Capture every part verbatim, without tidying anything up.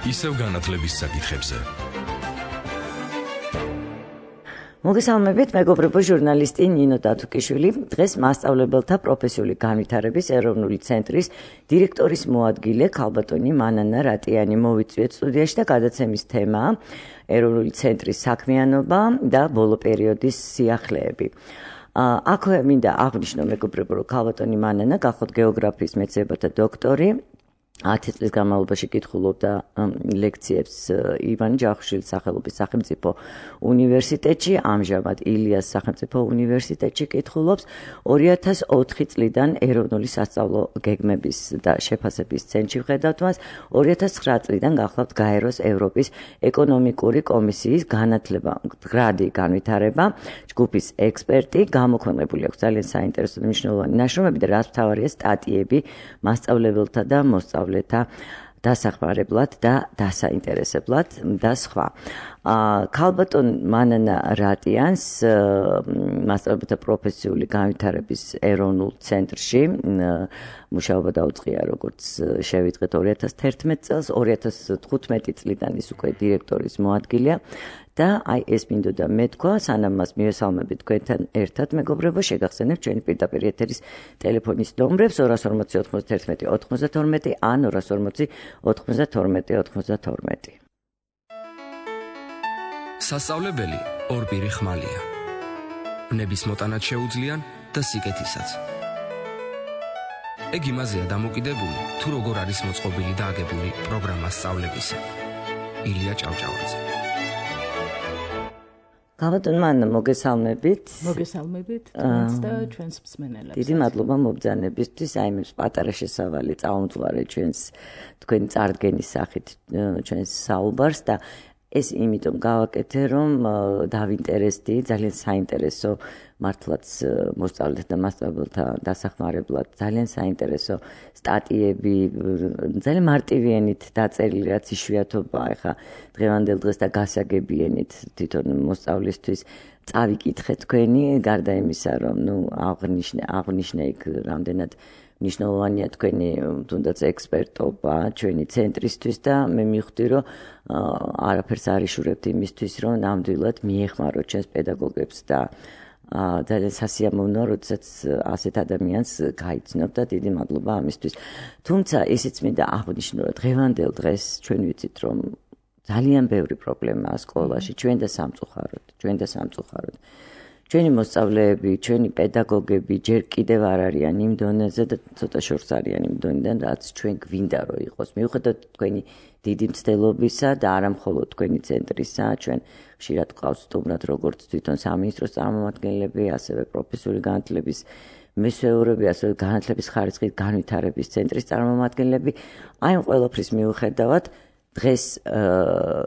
ისევ განათლების საკითხებზე. მოგესალმებით, მეგობრებო, ჟურნალისტი ნინო დათუკიშვილი, დღეს მასწავლებელთა პროფესიული განვითარების ეროვნული ცენტრის დირექტორის მოადგილე ქალბატონი მანანა რატიანი მოვიწვიეთ სტუდიაში და გადაცემის თემაა ეროვნული ცენტრის საქმიანობა და ბოლო პერიოდის სიახლეები. აქვე მინდა აღნიშნო, მეგობრებო, რომ ქალბატონი მანანა გახლავთ გეოგრაფიის მეცნიერებათა დოქტორი, ათი წლის განმავლობაში კითხულობდა ლექციებს ივან ჯავახიშვილის სახელობის სახელმწიფო უნივერსიტეტში, ამჟამად ილიას სახელმწიფო უნივერსიტეტში კითხულობს, ორი ათას ოთხი წლიდან ეროვნული სასწავლო გეგმების და შეფასების ცენტრში ვხედავთ მას, ორი ათას ცხრა წლიდან გახლავთ გაეროს ევროპის ეკონომიკური კომისიის განათლება, გრადი განვითარება, ჯგუფის ექსპერტი, გამოქვეყნებული აქვს ძალიან საინტერესო და მნიშვნელოვანი ნაშრომები და რაც მთავარია სტატიები მასწავლებელთა და მოსწავლეთა დასახმარებლად და დასაინტერესებლად და სხვა. ქალბატონ მანანა რატიანს მასწავლებელთა პროფესიული განვითარების ეროვნულ ცენტრში მუშაობა დაუწყია, როგორც შევიტყვეთ ორი ათას თერთმეტ წელს, ორი ათას თხუთმეტი წლიდან ის უკვე დირექტორის მოადგილეა და აი ეს მინდოდა მეთქვა, სანამ მას მივესალმებით თქვენთან ერთად, მეგობრებო, შეგახსენებთ ჩვენი პირდაპირ ეთერის ტელეფონის ნომრებს ორას ორმოცი ოთხმოცდათერთმეტი ოთხმოცდათორმეტი ან ორას ორმოცი ოთხმოცდათორმეტი ოთხმოცდათორმეტი. სასწავლებელი ორპირი ხმალია. ბნების მოტანაც შეუძლიან და სიკეთისაც. ეგ იმაზეა დამოკიდებული, თუ როგორ არის მოწყობილი და აგებული პროგრამა სწავლებისა. ილია ჭავჭავაძე. ქალბატონ მანანა, მოგესალმებით. მოგესალმებით თქვენს და ჩვენს მსმენელებს. დიდი მადლობა მობრძანებისთვის, აი მე პატარა შესავალი წაუმძღვარე ჩვენს თქვენი წარდგენის სახით ჩვენს საუბარს და ეს იმიტომ გავაკეთე, რომ დავინტერესდი, ძალიან საინტერესო მართლაც მოსწავლეთა და მასწავლებელთა დასახმარებლად, ძალიან საინტერესო სტატიები, ძალიან მარტივიანით დაწერილი, რაც იშვიათობაა ახლა დღევანდელ დღეს და გასაგებიანით თვითონ მოსწავლისთვის წავიკითხე თქვენი, გარდა იმისა, რომ ნუ აღნიშნე, აღნიშნე იქ რამდენად მნიშვნელოვანია თქვენი თუნდაც ექსპერტობა ჩვენი ცენტრისთვის და მე მივხვდი, რომ არაფერს არ იშურებთ იმისთვის, რომ ნამდვილად მიეხმაროთ ჩვენს პედაგოგებს და ძალიან სასიამოვნოა, როდესაც ასეთ ადამიანს გაიცნობ და დიდი მადლობა ამისთვის. თუმცა ისიც მინდა აღნიშნო, რომ დღევანდელ დღეს ჩვენ ვიცით, რომ ძალიან ბევრი პრობლემაა სკოლაში, ჩვენ და სამწუხაროდ, ჩვენ და სამწუხაროდ. ჩვენი მოსწავლეები, ჩვენი პედაგოგები ჯერ კიდევ არ არიან იმ დონეზე და ცოტა შორს არიან იმ დონიდან, რაც ჩვენ გვინდა რომ იყოს. მიუხედავად თქვენი დიდი მცდელობისა და არა მხოლოდ თქვენი ცენტრისა, ჩვენ ხშირად გვყავს სტუმრად როგორც თვითონ სამინისტროს წარმომადგენლები, ასევე პროფესიული განათლების მესვეურები, ასევე განათლების ხარისხის განვითარების ცენტრის წარმომადგენლები. აი ამ ყველაფრის მიუხედავად დღეს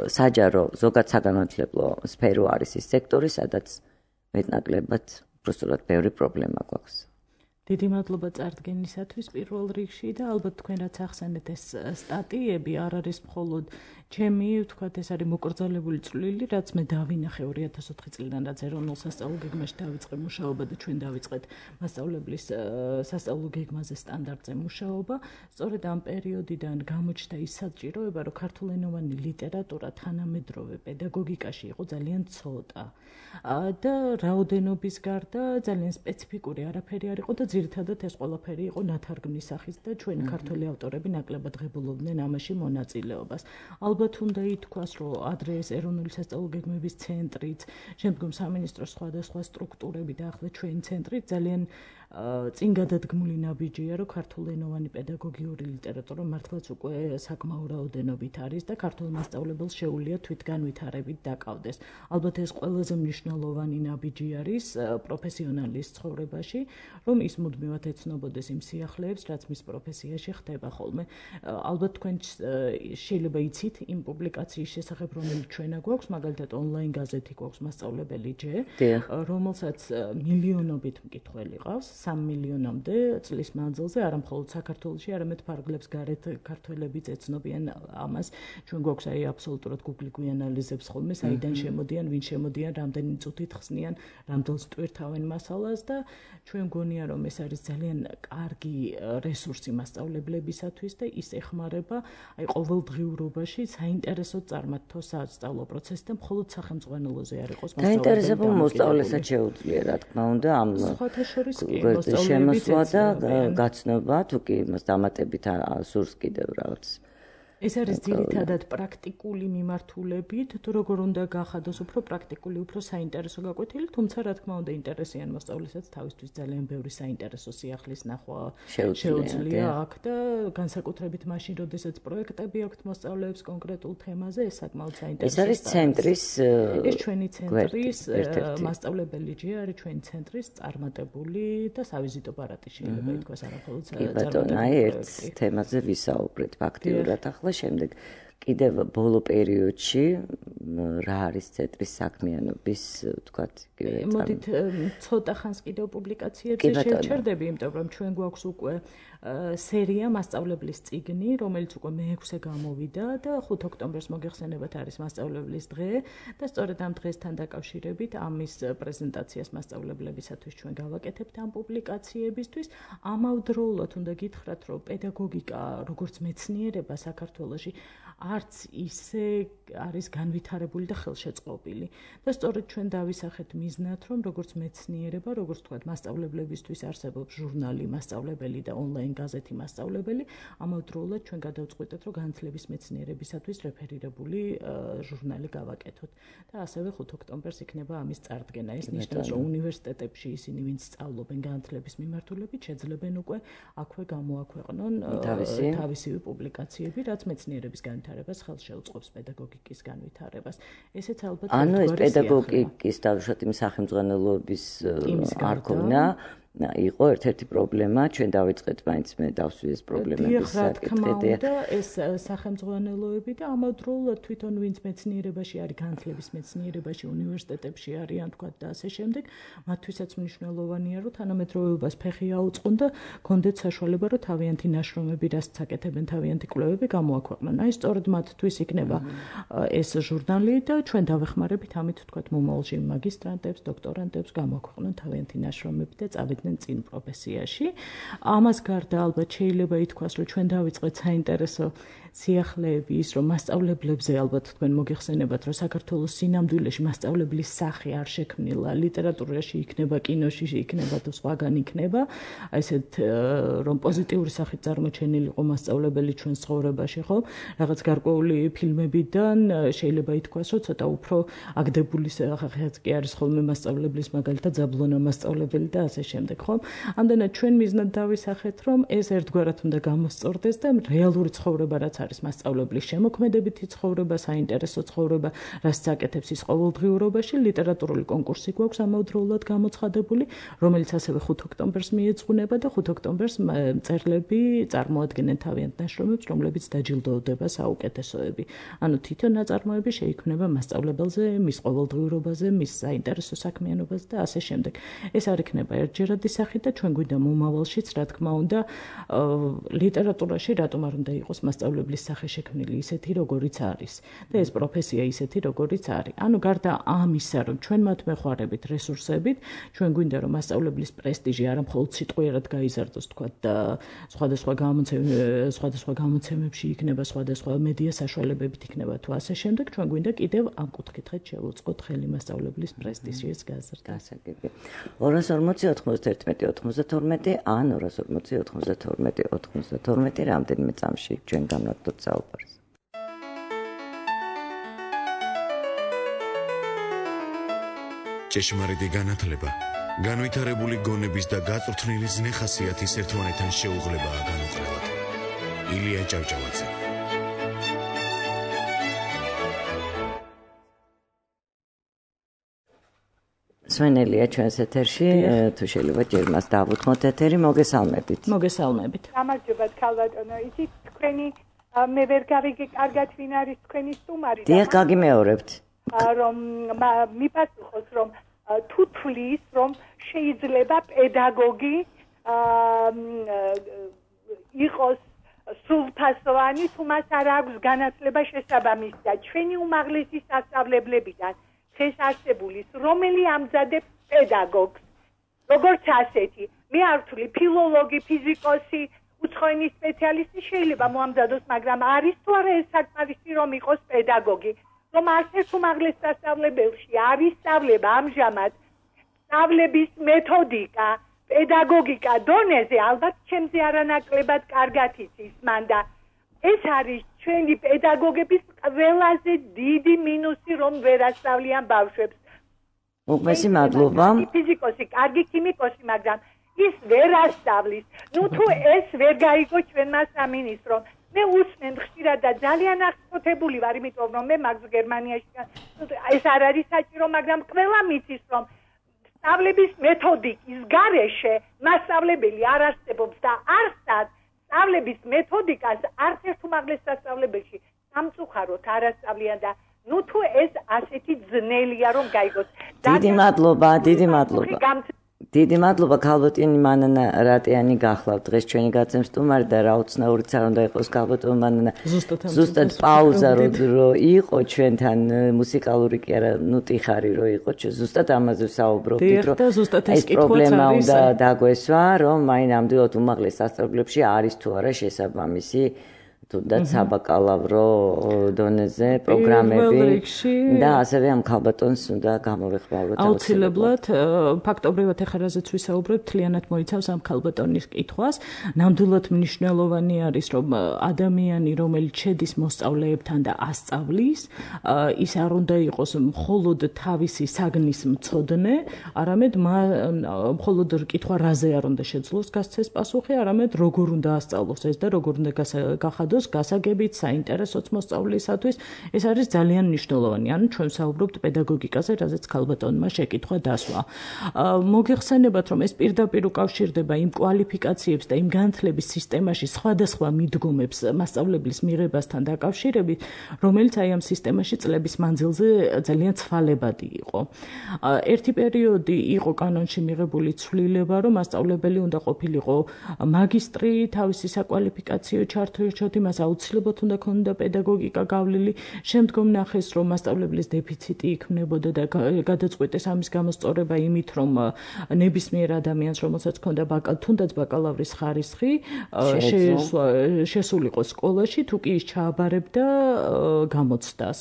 საჯარო ზოგად საგანმანათლებლო სფერო არის ის სექტორი, სადაც მეტნაკლებად უბრალოდ ბევრი პრობლემა გვაქვს. დიდი მადლობა წარდგენისათვის პირველ რიგში და ალბათ თქვენ რაც ახსენეთ ეს სტატიები არ არის მხოლოდ ჩემი, ვთქვათ, ეს არის მოკრძალებული წვლილი, რაც მე დავინახე ორი ათას ოთხი წლიდან, რაც ეროვნულ სასწავლო გეგმაში დავიწყე მუშაობა და ჩვენ დავიწყეთ მასწავლებლის სასწავლო გეგმაზე სტანდარტზე მუშაობა. სწორედ ამ პერიოდიდან გამოჩნდა ის საჭიროება, რომ ქართულენოვანი ლიტერატურა თანამედროვე პედაგოგიკაში იყო ძალიან ცოტა და რაოდენობის გარდა ძალიან სპეციფიკური არაფერი არ იყო და ძირითადად ეს ყველაფერი იყო ნათარგმნის სახით და ჩვენი ქართველი ავტორები ნაკლებად ღებულობდნენ ამაში მონაწილეობას. ალბათ უნდა ითქვას, რომ ადრე ეს ეროვნული სასწავლო გეგმების ცენტრიც, შემდგომ სამინისტროს სხვადასხვა სტრუქტურები და ახლა ჩვენი ცენტრი ძალიან წინ გადადგმული ნაბიჯია, რომ ქართულენოვანი პედაგოგიური ლიტერატურა მართლაც უკვე საკმაო რაოდენობით არის და ქართულ მასწავლებელს შეუძლია თვითგანვითარებით დაკავდეს. ალბათ ეს ყველაზე მნიშვნელოვანი ნაბიჯი არის პროფესიონალის ცხოვრებაში, რომ ის მუდმივად ეცნობოდეს იმ სიახლეებს, რაც მის პროფესიაში ხდება ხოლმე. ალბათ თქვენ შეიძლება იცით იმ პუბლიკაციის შესახებ, რომელიც ჩვენა გვაქვს, მაგალითად ონლაინ გაზეთი გვაქვს მასწავლებელი ჯე, რომელსაც მილიონობით მკითხველი ყავს, სამ მილიონამდე წლის მანძილზე, არა მხოლოდ საქართველოში, არამედ ფარგლებს გარეთ ქართველებიც ეცნობიან ამას. ჩვენ გვაქვს აი აბსოლუტურად Google გვიანალიზებს ხოლმე, საიდან შემოდიან, ვინ შემოდიან, რამდენი წუთით ხსნიან, რამდენს ტვირთავენ მასალას და ჩვენ გონია რომ ეს ეს არის ძალიან კარგი რესურსი მასწავლებლებისათვის და ის ეხმარება აი ყოველდღიურობაში საინტერესო წარმართო სასწავლო პროცესი და მხოლოდ სახელმძღვანელოზე არ იყოს მასწავლებელი. დაინტერესებულ მოსწავლესაც შეუძლია, რა თქმა უნდა, ამ სხვათა შორის კი შემოსვლა და გაცნობა, თუ კი იმას დამატებით სურს კიდევ რაღაც. ეს არის ძირითადად პრაქტიკული მიმართულებით, თუ როგორ უნდა გახადოს უფრო პრაქტიკული, უფრო საინტერესო გაკვეთილი, თუმცა რა თქმა უნდა ინტერესიან მოსწავლესაც თავისთვის ძალიან ბევრი საინტერესო სიახლის ნახვა შეუძლია აქ და განსაკუთრებით მაშინ, როდესაც პროექტები აქვთ მოსწავლეებს კონკრეტულ თემაზე, ეს საკმაოდ საინტერესოა. ეს არის ცენტრის ეს ჩვენი ცენტრის მასწავლებელი ჯი არის ჩვენი ცენტრის წარმატებული და სავიზიტო პარატი შეიძლება ითქვას არამხოლოდ წარმატებული ერთ თემაზე ვისაუბრეთ ფაქტიურად ახლა შემდეგ კიდევ ბოლო პერიოდში რა არის ცენტრის საქმიანობის თქვათ იგივე მოდით ცოტა ხანს კიდევ პუბლიკაციებზე შევჩერდები, იმიტომ რომ ჩვენ გვაქვს უკვე სერია მასწავლებლის წიგნი, რომელიც უკვე მეექვსე გამოვიდა და ხუთ ოქტომბერს მოგეხსენებათ არის მასწავლებლის დღე და სწორედ ამ დღესთან დაკავშირებით ამის პრეზენტაციას მასწავლებლებისათვის ჩვენ გავაკეთებთ ამ პუბლიკაციებისთვის. ამავდროულად უნდა გითხრათ, რომ პედაგოგიკა როგორც მეცნიერება საქართველოში არც ისე არის განვითარებული და ხელშეწყობილი. და სწორედ ჩვენ დავისახეთ მიზნად, რომ როგორც მეცნიერება, როგორც თქვათ, მასწავლებლებისთვის არსებობს ჟურნალი მასწავლებელი და ონლაინ გაზეთი მასწავლებელი, ამავდროულად ჩვენ გადავწყვიტეთ, რომ განათლების მეცნიერებისათვის რეფერირებული ჟურნალი გავაკეთოთ. და ასევე ხუთ ოქტომბერს იქნება ამის წარდგენა. ეს ნიშნავს, რომ უნივერსიტეტებში ისინი, ვინც სწავლობენ განათლების მიმართულებით, შეძლებენ უკვე აქვე გამოაქვეყნონ თავისივე პუბლიკაციები, რაც მეცნიერების განვითარებას ხელს შეუწყობს პედაგოგიკის განვითარებას. ესეც ალბათ ანუ ეს პედაგოგიკის დავუშვათ იმ სახელმძღვანელოების არ ქონა იყო ერთ-ერთი პრობლემა, ჩვენ დავიწყეთ მაინც მე დავსვი ეს პრობლემების საკითხი და ეს სახელმძღვანელოები და ამავდროულად თვითონ ვინც მეცნიერებაში არის, განათლების მეცნიერებაში, უნივერსიტეტებში არიან თქვა და ასე შემდეგ, მათთვისაც მნიშვნელოვანია, რომ თანამედროვეობას ფეხი აუწყონ და კონდეთ საშუალება, რომ თავიანთი ნაშრომები, რასაც აკეთებენ თავიანთი კვლევები გამოაქვეყნონ. აი სწორედ მათთვის იქნება ეს ჟურნალი და ჩვენ დავეხმარებით ამით თქვა მომავალში მაგისტრანტებს, დოქტორანტებს გამოაქვეყნონ თავიანთი ნაშრომები და წავიდნენ წინ პროფესიაში. ამას გარდა ალბათ შეიძლება ითქვას, რომ ჩვენ დავიწყეთ საინტერესო სიახლეები ის, რომ მასწავლებლებზე ალბათ თქვენ მოგეხსენებათ, რომ საქართველოს სინამდვილეში მასწავლებლის სახე არ შექმნილა, ლიტერატურაში იქნება, კინოში იქნება თუ სხვაგან იქნება, აი ესეთ რომ პოზიტიური სახით წარმოჩენილი იყო მასწავლებელი ჩვენს ცხოვრებაში, ხო? რაღაც გარკვეული ფილმებიდან შეიძლება ითქვას, რომ ცოტა უფრო აგდებული სახეც კი არის ხოლმე მასწავლებლის, მაგალითად ზაბლონა მასწავლებელი და ასე შემდეგ, ხო? ამდენად ჩვენ მიზნად დავისახეთ, რომ ეს ერთგვარად უნდა გამოსწორდეს და რეალური ცხოვრება რაც არის მასწავლებლის შემოქმედებითი ცხოვრება, საინტერესო ცხოვრება, რასაც აკეთებს ის ყოველდღიურობაში, ლიტერატურული კონკურსი გვაქვს ამავდროულად გამოცხადებული, რომელიც ასევე ხუთ ოქტომბერს მიეძღვნება და ხუთ ოქტომბერს მწერლები წარმოადგენენ თავიანთ ნაშრომებს, რომლებიც დაჯილდოვდება საუკეთესოები. ანუ თითო ნაწარმოები შეიქმნება მასწავლებელზე, მის ყოველდღიურობაზე, მის საინტერესო საქმიანობაზე და ასე შემდეგ. ეს არ იქნება ერთჯერადი სახით და ჩვენ გვინდა მომავალშიც, რა თქმა უნდა, ლიტერატურაში რატომ არ უნდა იყოს მასწავლებლის სახე შექმნილი ისეთი, როგორიც არის და ეს პროფესია ისეთი, როგორიც არის. ანუ გარდა ამისა, რომ ჩვენ მათ მეხوارებით რესურსებით, ჩვენ გვინდა რომ მასწავლებლის პრესტიჟი არა მხოლოდ სიტყვიერად გაიზარდოს, თქვა და სხვადასხვა გამოცემებში, სხვადასხვა გამოცემებში იქნება, სხვადასხვა მედია საშუალებებით იქნება თუ ასე შემდეგ, ჩვენ გვინდა კიდევ ამ კუთხით შევუწყოთ ხელი მასწავლებლის პრესტიჟის გაზრდას. ორას ორმოცი ოთხმოცდაერთმეტი ოთხმოცდათორმეტი ან ორას ორმოცი ოთხმოცდათორმეტი ოთხმოცდათორმეტი რამდენიმე წამში ჩვენ განვაგდოთ საუბარს. ჭეშმარიტი განათლება, განვითარებული გონების და გაწვრთნილი ზნე-ხასიათის ერთმანეთთან შეუღლებაა განუყრელად. ილია ჭავჭავაძე. სვენელია ჩვენს ეთერში, თუ შეიძლება ჯერ მას დავუთმოთ ეთერი, მოგესალმებით. მოგესალმებით. გამარჯობა ქალბატონო, იცით თქვენი მე ვერ გავიგე კარგად ვინ არის თქვენი სტუმარი და დიახ, გაგიმეორებთ. რომ მიპასუხოს რომ თუ თulis რომ შეიძლება პედაგოგი იყოს სრულფასოვანი, თუ მას არ აქვს განათლება შესაბამისი და ჩვენი უმაღლესი სასწავლებლებიდან დღეს არსებულის, რომელი ამზადებს პედაგოგს როგორც ასეთი მე არ ვთვლი ფილოლოგი, ფიზიკოსი, უცხოენის სპეციალისტი შეიძლება მოამზადოს, მაგრამ არის თუ არა ეს საკმარისი რომ იყოს პედაგოგი, რომ არც ერთ უმაღლეს სასწავლებელში არ ისწავლება ამჟამად სწავლების მეთოდიკა, პედაგოგიკა დონეზე, ალბათ ჩემზე არანაკლებად კარგად იცის მან და ეს არის ჩვენი პედაგოგების ყველაზე დიდი მინუსი, რომ ვერ ასწავლიან ბავშვებს. უღმესი მადლობა. ფიზიკოსი, კარგი ქიმიკოსი, მაგრამ ის ვერ ასწავლის. ნუ თუ ეს ვერ გაიგო ჩვენმა სამინისტრომ. მე უსმენ ხშირად და ძალიან აღწოთებული ვარ, იმიტომ რომ მე მაგ გერმანიაში ეს არ არის საჭირო, მაგრამ ყველა მიცის რომ სწავლების მეთოდიკის გარეშე მასწავლებელი არ არსებობს და არსად სწავლების მეთოდიკას არც ერთ უმაღლეს სასწავლებელში სამწუხაროდ არ ასწავლიან და ნუ თუ ეს ასეთი ძნელია რომ გაიგოს. დიდი მადლობა, დიდი მადლობა. დიდი მადლობა ქალბატონი მანანა რატიანი გახლავთ დღეს ჩვენი გაცემ სტუმარი და რა უცნაურიც არ უნდა იყოს ქალბატონი მანანა. ზუსტად პაუზა რო იყო ჩვენთან მუსიკალური კი არა, ნუ ტიხარი რო იყო, ზუსტად ამაზე ვსაუბრობდით, რომ ეს პრობლემა უნდა დაგვესვა, რომ მაინ ამდენად უმაღლეს სასწავლებლებში არის თუ არა შესაბამისი თუნდაც საბაკალავრო დონეზე პროგრამები და ასევე ამ ქალბატონს უნდა გამოვეხმაუროთ აუცილებლად. ფაქტობრივად ახლა რაზეც ვისაუბრებ, მთლიანად მოიცავს ამ ქალბატონის კითხვას. ნამდვილად მნიშვნელოვანი არის, რომ ადამიანი, რომელიც შედის მოსწავლეებთან და ასწავლის, ის არ უნდა იყოს მხოლოდ თავისი საგნის მცოდნე, არამედ მხოლოდ კითხვა რაზე არ უნდა შეძლოს გასცეს პასუხი, არამედ როგორ უნდა ასწავლოს ეს და როგორ უნდა გახადოს გასაგებით, საინტერესოც მოსწავლისათვის. ეს არის ძალიან მნიშვნელოვანი. ანუ ჩვენ ვსაუბრობთ პედაგოგიკაზე, რაზეც ქალბატონმა შეკითხვა დასვა. მოგეხსენებათ, რომ ეს პირდაპირ უკავშირდება იმ კვალიფიკაციებს და იმ განათლების სისტემაში სხვადასხვა მიდგომებს მასწავლებლის მიღებასთან დაკავშირებით, რომელიც აი ამ სისტემაში წლების მანძილზე ძალიან ცვალებადი იყო. ერთი პერიოდი იყო კანონში მიღებული ცვლილება, რომ მასწავლებელი უნდა ყოფილიყო მაგისტრი, თავისი საკვალიფიკაციო ჩართვით მას აუცილებლად უნდა ქონოდა პედაგოგიკა გავლილი. შემდგომ ნახეს, რომ მასწავლებლის დეფიციტი იქმნებოდა და გადაწყვიტეს ამის გამოსწორება იმით, რომ ნებისმიერ ადამიანს, რომელსაც ჰქონდა თუნდაც ბაკალავრის ხარისხი, შესულიყო სკოლაში, თუ კი ის ჩააბარებდა გამოცდას.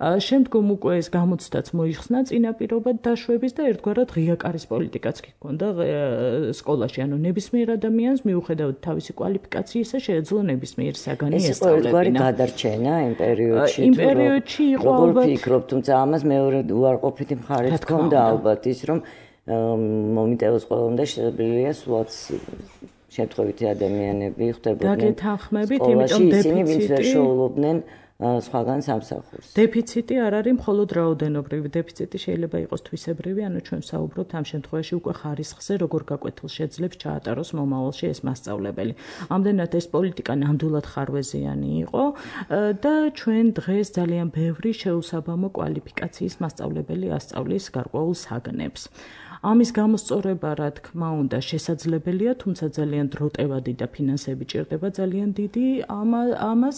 შემდგომ უკვე ეს გამოცდაც მოიხსნა წინაპირობად დაშვების და ერთგვარად ღია კარის პოლიტიკაც ჰქონდა სკოლაში. ანუ ნებისმიერ ადამიანს მიუხედავად თავისი კვალიფიკაციისა შეეძლო ნებისმიერ საგანი ეს იყო ერთგვარი გადარჩენა იმ პერიოდში. იმ პერიოდში იყო ალბათ ვფიქრობ, თუმცა ამას მეორე უარყოფითი მხარეც ჰქონდა ალბათ ის, რომ მომიტევოს ყველა უნდა შესაძლებელია სულაც შემთხვევითი ადამიანები ხდებოდნენ. დაგეთანხმებით, იმიტომ დეფიციტი შეულობდნენ სხვაგან სამსახურს. დეფიციტი არ არის მხოლოდ რაოდენობრივი, დეფიციტი შეიძლება იყოს თვისებრივი, ანუ ჩვენ ვსაუბრობთ ამ შემთხვევაში უკვე ხარისხზე, როგორ გაკვეთილ შეძლებს ჩაატაროს მომავალში ეს მასწავლებელი. ამდენად ეს პოლიტიკა ნამდვილად ხარვეზიანი იყო და ჩვენ დღეს ძალიან ბევრი შეუსაბამო კვალიფიკაციის მასწავლებელი ასწავლის გარკვეულ საგნებს. ამის გამოსწორება, რა თქმა უნდა, შესაძლებელია, თუმცა ძალიან დროტევადი და ფინანსები ჭირდება ძალიან დიდი ამას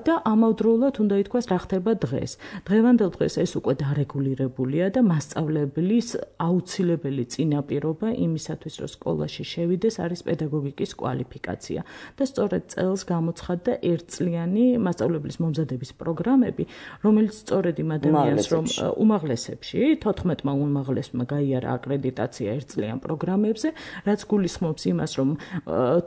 და ამავდროულად უნდა ითქვას, რა ხდება დღეს. დღევანდელ დღეს ეს უკვე დარეგულირებულია და მასწავლებლის აუცილებელი წინაპირობა იმისათვის, რომ სკოლაში შევიდეს, არის პედაგოგიკის კვალიფიკაცია. და სწორედ წელს გამოცხადდა ერთწლიანი მასწავლებლის მომზადების პროგრამები, რომელიც სწორედ იმ ადამიანს, რომ უმაღლესებში, თოთხმეტმა უმაღლესმა გაიარა აკრედიტაცია ერთწლიან პროგრამებზე, რაც გულისხმობს იმას, რომ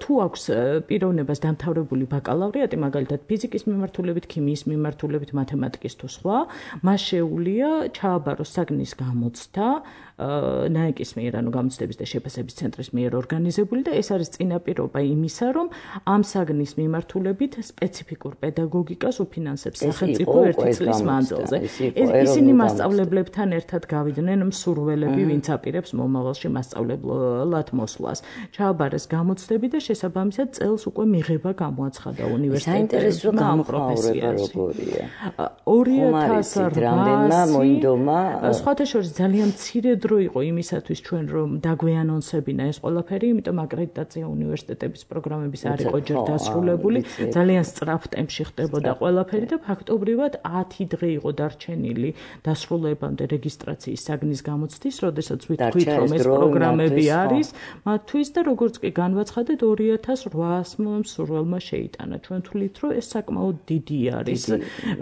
თუ აქვს პიროვნებას დამთავრებული ბაკალავრიატი, მაგალითად ფიზიკის მიმართულებით, ქიმიის მიმართულებით, მათემატიკის თუ სხვა, მას შეუძლია ჩააბაროს საგნის გამოცდა ნაეკის მიერ, ანუ გამოცდების და შეფასების ცენტრის მიერ ორგანიზებული და ეს არის წინაპირობა იმისა, რომ ამ საგნის მიმართულებით სპეციფიკურ პედაგოგიკას უფინანსებს სახელმწიფო ერთი წლის მანძილზე. ისინი მასწავლებლებთან ერთად გავიდნენ მსურველები, ვინც აპირებს მომავალში მასწავლებლად მოსვლას. ჩააბარეს გამოცდები და შესაბამისად წელს უკვე მიღება გამოაცხადა უნივერსიტეტებში ამ პროფესიაში. ორი ათას რამოდენმა მოინდომა. სხვათა შორის ძალიან მცირე დრო იყო იმისათვის ჩვენ რომ დაგვეანონსებინა ეს ყველაფერი, იმიტომ აკრედიტაცია უნივერსიტეტების პროგრამების არ იყო ჯერ დასრულებული, ძალიან სწრაფ ტემპში ხდებოდა ყველაფერი და ფაქტობრივად ათი დღე იყო დარჩენილი დასრულებამდე რეგისტრაციის საგნის გამოცდის, როდესაც ვთქვით რომ ეს პროგრამები არის მათთვის და როგორც კი განვაცხადეთ ორი ათას რვაას მსურველმა შეიტანა. ჩვენ თვლით რომ ეს საკმაოდ დიდი არის,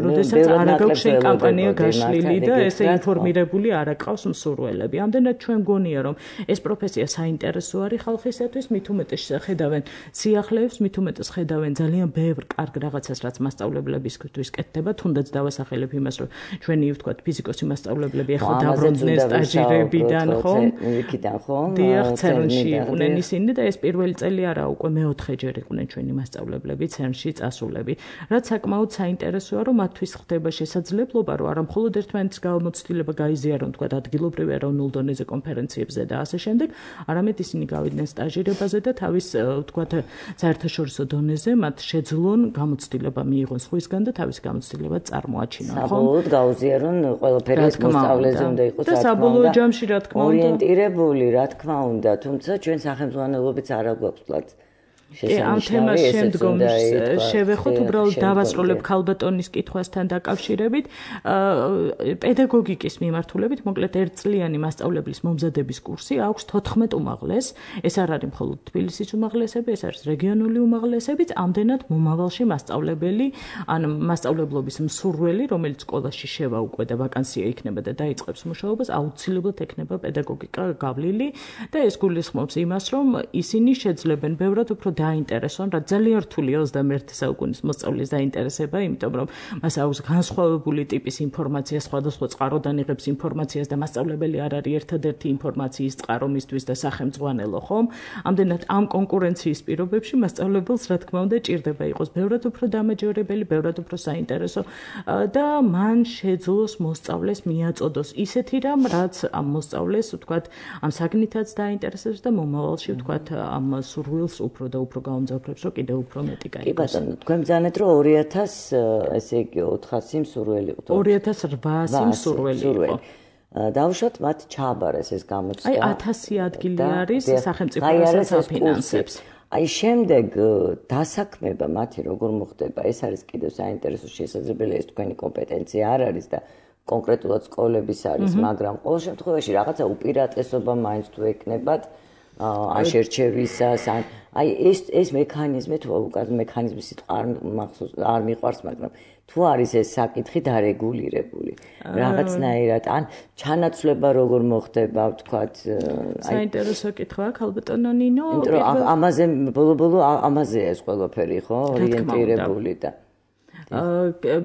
როდესაც არ აქვს შენ კამპანია გაშლილი და ესე ინფორმირებული არ აქვს მსურველები. ამდენად ჩვენ გონია რომ ეს პროფესია საინტერესო არის ხალხისათვის, მით უმეტეს ხედავენ სიახლეებს, მით უმეტეს ხედავენ ძალიან ბევრ კარგ რაღაცას, რაც მასწავლებლებისთვის კეთდება, თუნდაც დავასახელებ იმას, რომ ჩვენი ვთქვათ ფიზიკოსი მასწავლებლები ახლა დაბრუნდნენ სტაჟირებიდან, ხომ? იქიდან, ხო? დიახ, ცერნში იყვნენ ისინი და ეს პირველი წელი არა, უკვე მეოთხეჯერ იყვნენ ჩვენი მასწავლებლები ცერნში წასულები. რაც საკმაოდ საინტერესოა, რომ მათთვის ხდება შესაძლებლობა, რომ არა მხოლოდ ერთმანეთის გამოცდილება გაიზიარონ, ვთქვათ, ადგილობრივ ეროვნულ დონეზე კონფერენციებზე და ასე შემდეგ, არამედ ისინი გავიდნენ სტაჟირებაზე და თავის, ვთქვათ, საერთაშორისო დონეზე მათ შეძლონ გამოცდილება მიიღონ სხვისგან და თავის გამოცდილება წარმოაჩინონ, ხო? საბოლოოდ გაუზიარონ ყველაფერი ეს მოსწავლეზე უნდა იყოს, და საბოლოო ჯამში რა თქმა უნდა ორიენტირებული, რა თქმა უნდა, თუმცა ჩვენ სახელმძღვანელობიც არ აგვაქვს ვთქვათ ამ თემას შემდგომ შევეხოთ, უბრალოდ დავასრულებ ქალბატონის კითხვასთან დაკავშირებით. პედაგოგიკის მიმართულებით, მოკლედ ერთწლიანი მასწავლებლის მომზადების კურსი აქვს თოთხმეტ უმაღლეს. ეს არ არის მხოლოდ თბილისის უმაღლესები, ეს არის რეგიონული უმაღლესებიც, ამდენად მომავალში მასწავლებელი, ან მასწავლებლობის მსურველი, რომელიც სკოლაში შევა უკვე და ვაკანსია იქნება და დაიწყებს მუშაობას, აუცილებლად ექნება პედაგოგიკა გავლილი და ეს გულისხმობს იმას, რომ ისინი შეძლებენ ბევრად უფრო დაინტერესონ, რა ძალიან რთულია ოცდამეერთე საუკუნის მოსწავლის დაინტერესება, იმიტომ რომ მას აქვს განსხვავებული ტიპის ინფორმაცია, სხვადასხვა წყაროდან იღებს ინფორმაციას და მასწავლებელი არ არის ერთადერთი ინფორმაციის წყარო მისთვის და სახელმძღვანელო, ხომ? ამდენად ამ კონკურენციის პირობებში მასწავლებელს რა თქმა უნდა ჭირდება იყოს ბევრად უფრო დამაჯერებელი, ბევრად უფრო საინტერესო და მან შეძლოს მოსწავლეს მიაწოდოს ისეთი რამ, რაც ამ მოსწავლეს, ვთქვათ, ამ საგნითაც დაინტერესებს და მომავალში, ვთქვათ, ამ სურვილს უფრო და უფრო გაუმძაფრებს, რომ კიდევ უფრო მეტი გაიგოს. კი ბატონო, თქვენ ბრძანეთ, რომ ორი ათას, ესე იგი ოთხასი მსურველი იყო. ორი ათას რვაასი მსურველი იყო. დავუშვათ მათ ჩააბარეს ეს გამოცდა. აი ათასი ადგილი არის სახელმწიფო რასაც აფინანსებს. აი შემდეგ დასაქმება მათი როგორ მოხდება, ეს არის კიდევ საინტერესო შესაძლებელია, ეს თქვენი კომპეტენცია არ არის და კონკრეტულად სკოლების არის, მაგრამ ყოველ შემთხვევაში რაღაცა უპირატესობა მაინც თუ ეკნებათ ან შერჩევისას, ან აი ეს ეს მექანიზმი თუ უკან მექანიზმის სიტყვა მახსოვს არ მიყვარს, მაგრამ თუ არის ეს საკითხი დარეგულირებული რაღაცნაირად, ან ჩანაცვლება როგორ მოხდება, ვთქვათ, აი საინტერესო კითხვაა, ქალბატონო ნინო, იმიტომ რომ ამაზე ბოლო-ბოლო ამაზეა ეს ყველაფერი, ხო, ორიენტირებული და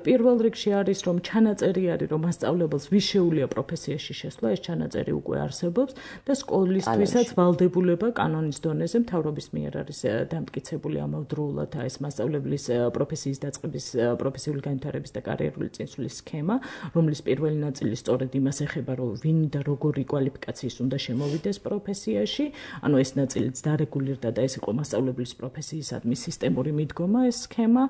პირველ რიგში არის რომ ჩანაწერი არის რომ მასწავლებელს ვიშეულია პროფესიაში შესვლა, ეს ჩანაწერი უკვე არსებობს და სკოლისთვისაც ვალდებულება კანონის დონეზე მთავრობის მიერ არის დამტკიცებული ამავდროულად ეს მასწავლებლის პროფესიის დაწყების, პროფესიული განვითარების და კარიერული წინსვლის სქემა, რომლის პირველი ნაწილი სწორედ იმას ეხება, რომ ვინ და როგორი კვალიფიკაციის უნდა შემოვიდეს პროფესიაში, ანუ ეს ნაწილიც დარეგულირდა და ეს იყო მასწავლებლის პროფესიისადმი სისტემური მიდგომა ეს სქემა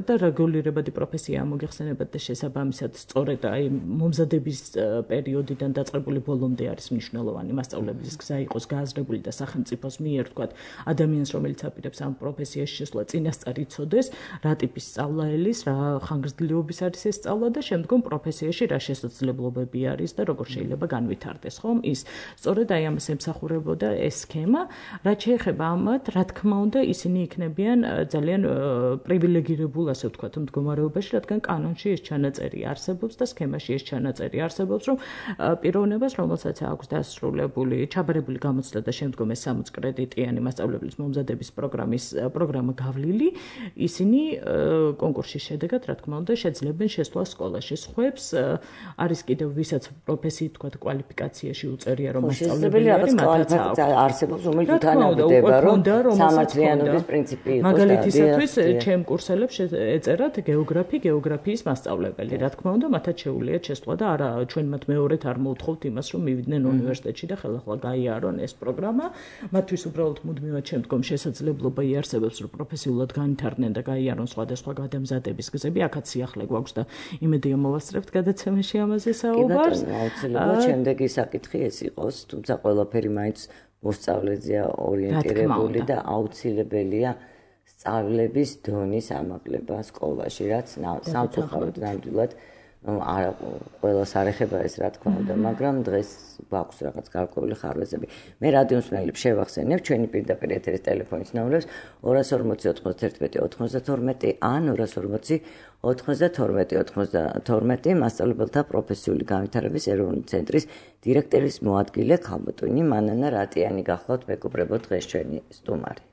და რეგულირებადი პროფესია ამოგეხსენებათ და შესაბამისად სწორედ აი მომზადების პერიოდიდან დაწყებული ბოლომდე არის მნიშვნელოვანი მასწავლებლის გზა იყოს გააზრებული და სახელმწიფოს მიერ თქვათ ადამიანს რომელიც აპირებს ამ პროფესიაში შესვლა წინასწარ იცოდეს რა ტიპის სწავლა ელის, რა ხანგრძლივობის არის ეს სწავლა და შემდგომ პროფესიაში რა შესაძლებლობები არის და როგორ შეიძლება განვითარდეს, ხომ? ის სწორედ აი ამას ემსახურებოდა ეს სქემა, რაც შეეხება ამათ, რა თქმა უნდა ისინი იქნებიან ძალიან პრივილეგირებულ ასე ვთქვათ მდგომარეობაში, რადგან კანონში ეს ჩანაწერი არსებობს და სქემაში ეს ჩანაწერი არსებობს, რომ პიროვნებას, რომელსაც აქვს დასრულებული, ჩაბარებული გამოცდა და შემდგომ ეს სამოც კრედიტიანი მასწავლებლის მომზადების პროგრამის პროგრამა გავლილი, ისინი კონკურსის შედეგად, რა თქმა უნდა, შეძლებენ შესვლა სკოლაში. სხვებს არის კიდევ ვისაც პროფესიით ვთქვათ კვალიფიკაციაში უწერია, რომ მასწავლებელი არის, მათაც არსებობს, რომელიც თანამდებობა, რომ სამართლიანობის პრინციპი იყოს. მაგალითისათვის, ჩემ კურსელებს ეწერათ გეოგრაფი, გეოგრაფიის მასწავლებელი. რა თქმა უნდა, მათაც შეუულიათ შესვლა და არა ჩვენ მათ მეორედ არ მოუთხოვთ იმას, რომ მივიდნენ უნივერსიტეტში და ხელახლა გაიარონ ეს პროგრამა. მათთვის უბრალოდ მუდმივად შემდგომ შესაძლებლობა იარსებებს, რომ პროფესიულად განვითარდნენ და გაიარონ სხვადასხვა გადამზადების გზები. აქაც სიახლე გვაქვს და იმედია მოვასწრებთ გადაცემაში ამაზე საუბარს. კი ბატონო, აუცილებლად შემდეგი საკითხი ეს იყოს, თუმცა ყველაფერი მაინც მოსწავლეზეა ორიენტირებული და აუცილებელია სწავლების დონის ამაღლება სკოლაში, რაც სამწუხაროდ ნამდვილად არა ყველას არ ეხება ეს რა თქმა უნდა, მაგრამ დღეს გვაქვს რაღაც გარკვეული ხარვეზები. მე რადიოსმენელებს შევახსენებ ჩვენი პირდაპირ ეთერის ტელეფონის ნომრებს ორას ორმოცი ოთხმოცდაერთმეტი ოცდათორმეტი ან ორას ორმოცი ოცდათორმეტი ოცდათორმეტი მასწავლებელთა პროფესიული განვითარების ეროვნული ცენტრის დირექტორის მოადგილე ქალბატონი მანანა რატიანი გახლავთ მეგობრებო დღეს ჩვენი სტუმარი.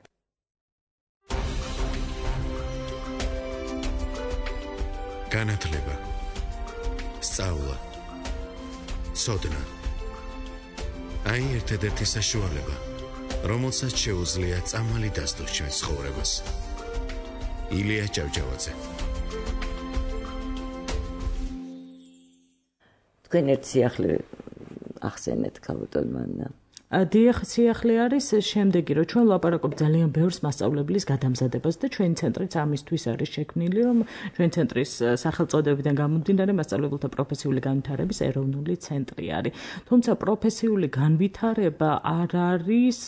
განათლება, სწავლა, ცოდნა. აი ერთადერთი საშუალება, რომელსაც შეუძლია წამალი დასდოს ჩვენს ცხოვრებას. ილია ჭავჭავაძე. თქვენ ერთ სიახლე ახსენეთ ქალბატონ მანანა. დიახ, სიახლე არის შემდეგი, რომ ჩვენ ვლაპარაკობთ ძალიან ბევრს მასწავლებლის გადამზადებას და ჩვენი ცენტრიც ამისთვის არის შექმნილი, რომ ჩვენი ცენტრის სახელწოდებიდან გამომდინარე მასწავლებელთა პროფესიული განვითარების ეროვნული ცენტრი არის. თუმცა პროფესიული განვითარება არ არის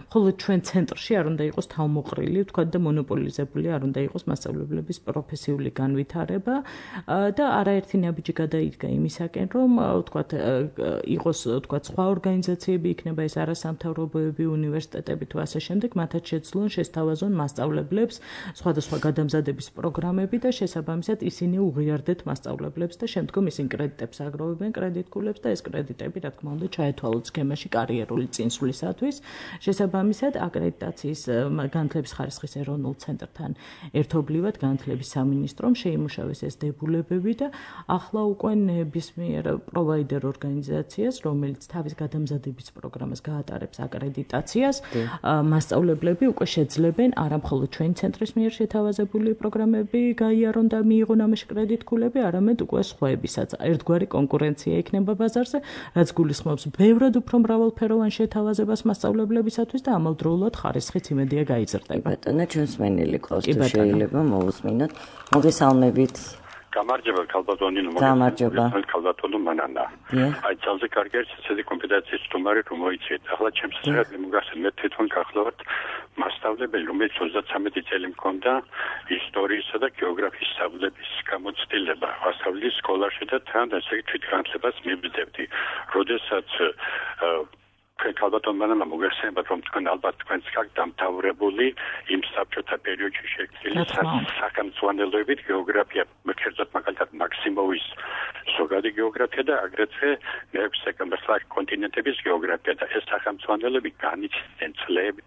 მხოლოდ ჩვენ ცენტრში არ უნდა იყოს თავმოყრილი, ვთქვათ და მონოპოლიზებული არ უნდა იყოს მასწავლებლების პროფესიული განვითარება და არაერთი ნაბიჯი გადაიდგა იმისაკენ, რომ ვთქვათ იყოს ვთქვათ სხვა ორგანიზაციები იქნება ეს არასამთავრობოები, უნივერსიტეტები თუ ასე შემდეგ, მათაც შეძლონ შესთავაზონ მასწავლებლებს სხვადასხვა გადამზადების პროგრამები და შესაბამისად ისინი უღიარდეთ მასწავლებლებს და შემდგომ ისინი კრედიტებს აგროვებენ კრედიტკულებს და ეს კრედიტები, რა თქმა უნდა, ჩაეთვალოთ სქემაში კარიერული წინსვლისათვის. შესაბამისად, აკრედიტაციის განათლების ხარისხის ეროვნულ ცენტრთან ერთობლივად განათლების სამინისტრომ შეიმუშავეს ეს დებულებები და ახლა უკვე ნებისმიერ პროვაიდერ ორგანიზაციას, რომელიც თავის გადამზადების პროგრამას გაატარებს აკრედიტაციას, მასწავლებლები უკვე შეძლებენ არა მხოლოდ ჩვენი ცენტრის მიერ შეთავაზებული პროგრამები გაიარონ და მიიღონ ამაში კრედიტკულები, არამედ უკვე სხვაებისაც. ერთგვარი კონკურენცია იქნება ბაზარზე, რაც გულისხმობს ბევრად უფრო მრავალფეროვან შეთავაზებას მასწავლებლებისათვის და ამავდროულად ხარისხიც იმედია გაიზრდება. ბატონო, ჩვენს მენელი ყავს თუ შეიძლება მოვუსმინოთ. მოგესალმებით. გამარჯობა ქალბატონი, გამარჯობა ქალბატონო მანანა. აი ძალზე კარგი არის ესეთი კომპეტენციის სტუმარი რომ მოიცეთ. ახლა ჩემს საერთოდ მოგახსენე მე თვითონ გახლავართ მასწავლებელი, რომელიც ოცდათრამეტი წელი მქონდა ისტორიისა და გეოგრაფიის სწავლების გამოცდილება. ასწავლის სკოლაში და თან ესე თვითგანათლებას მივიდებდი. როდესაც ქალბატონ მანანა მოგეხსენებათ რომ თქვენ ალბათ თქვენც გაქვთ დამთავრებული იმ საბჭოთა პერიოდში შექმნილი სახელმძღვანელოებით გეოგრაფია, მერჩევლად მაგალითად მაქსიმოვის ზოგადი გეოგრაფია და აგრეთვე მეექვსე სექტემბერს კონტინენტების გეოგრაფია და ეს სახელმძღვანელოები განიცდიან წლები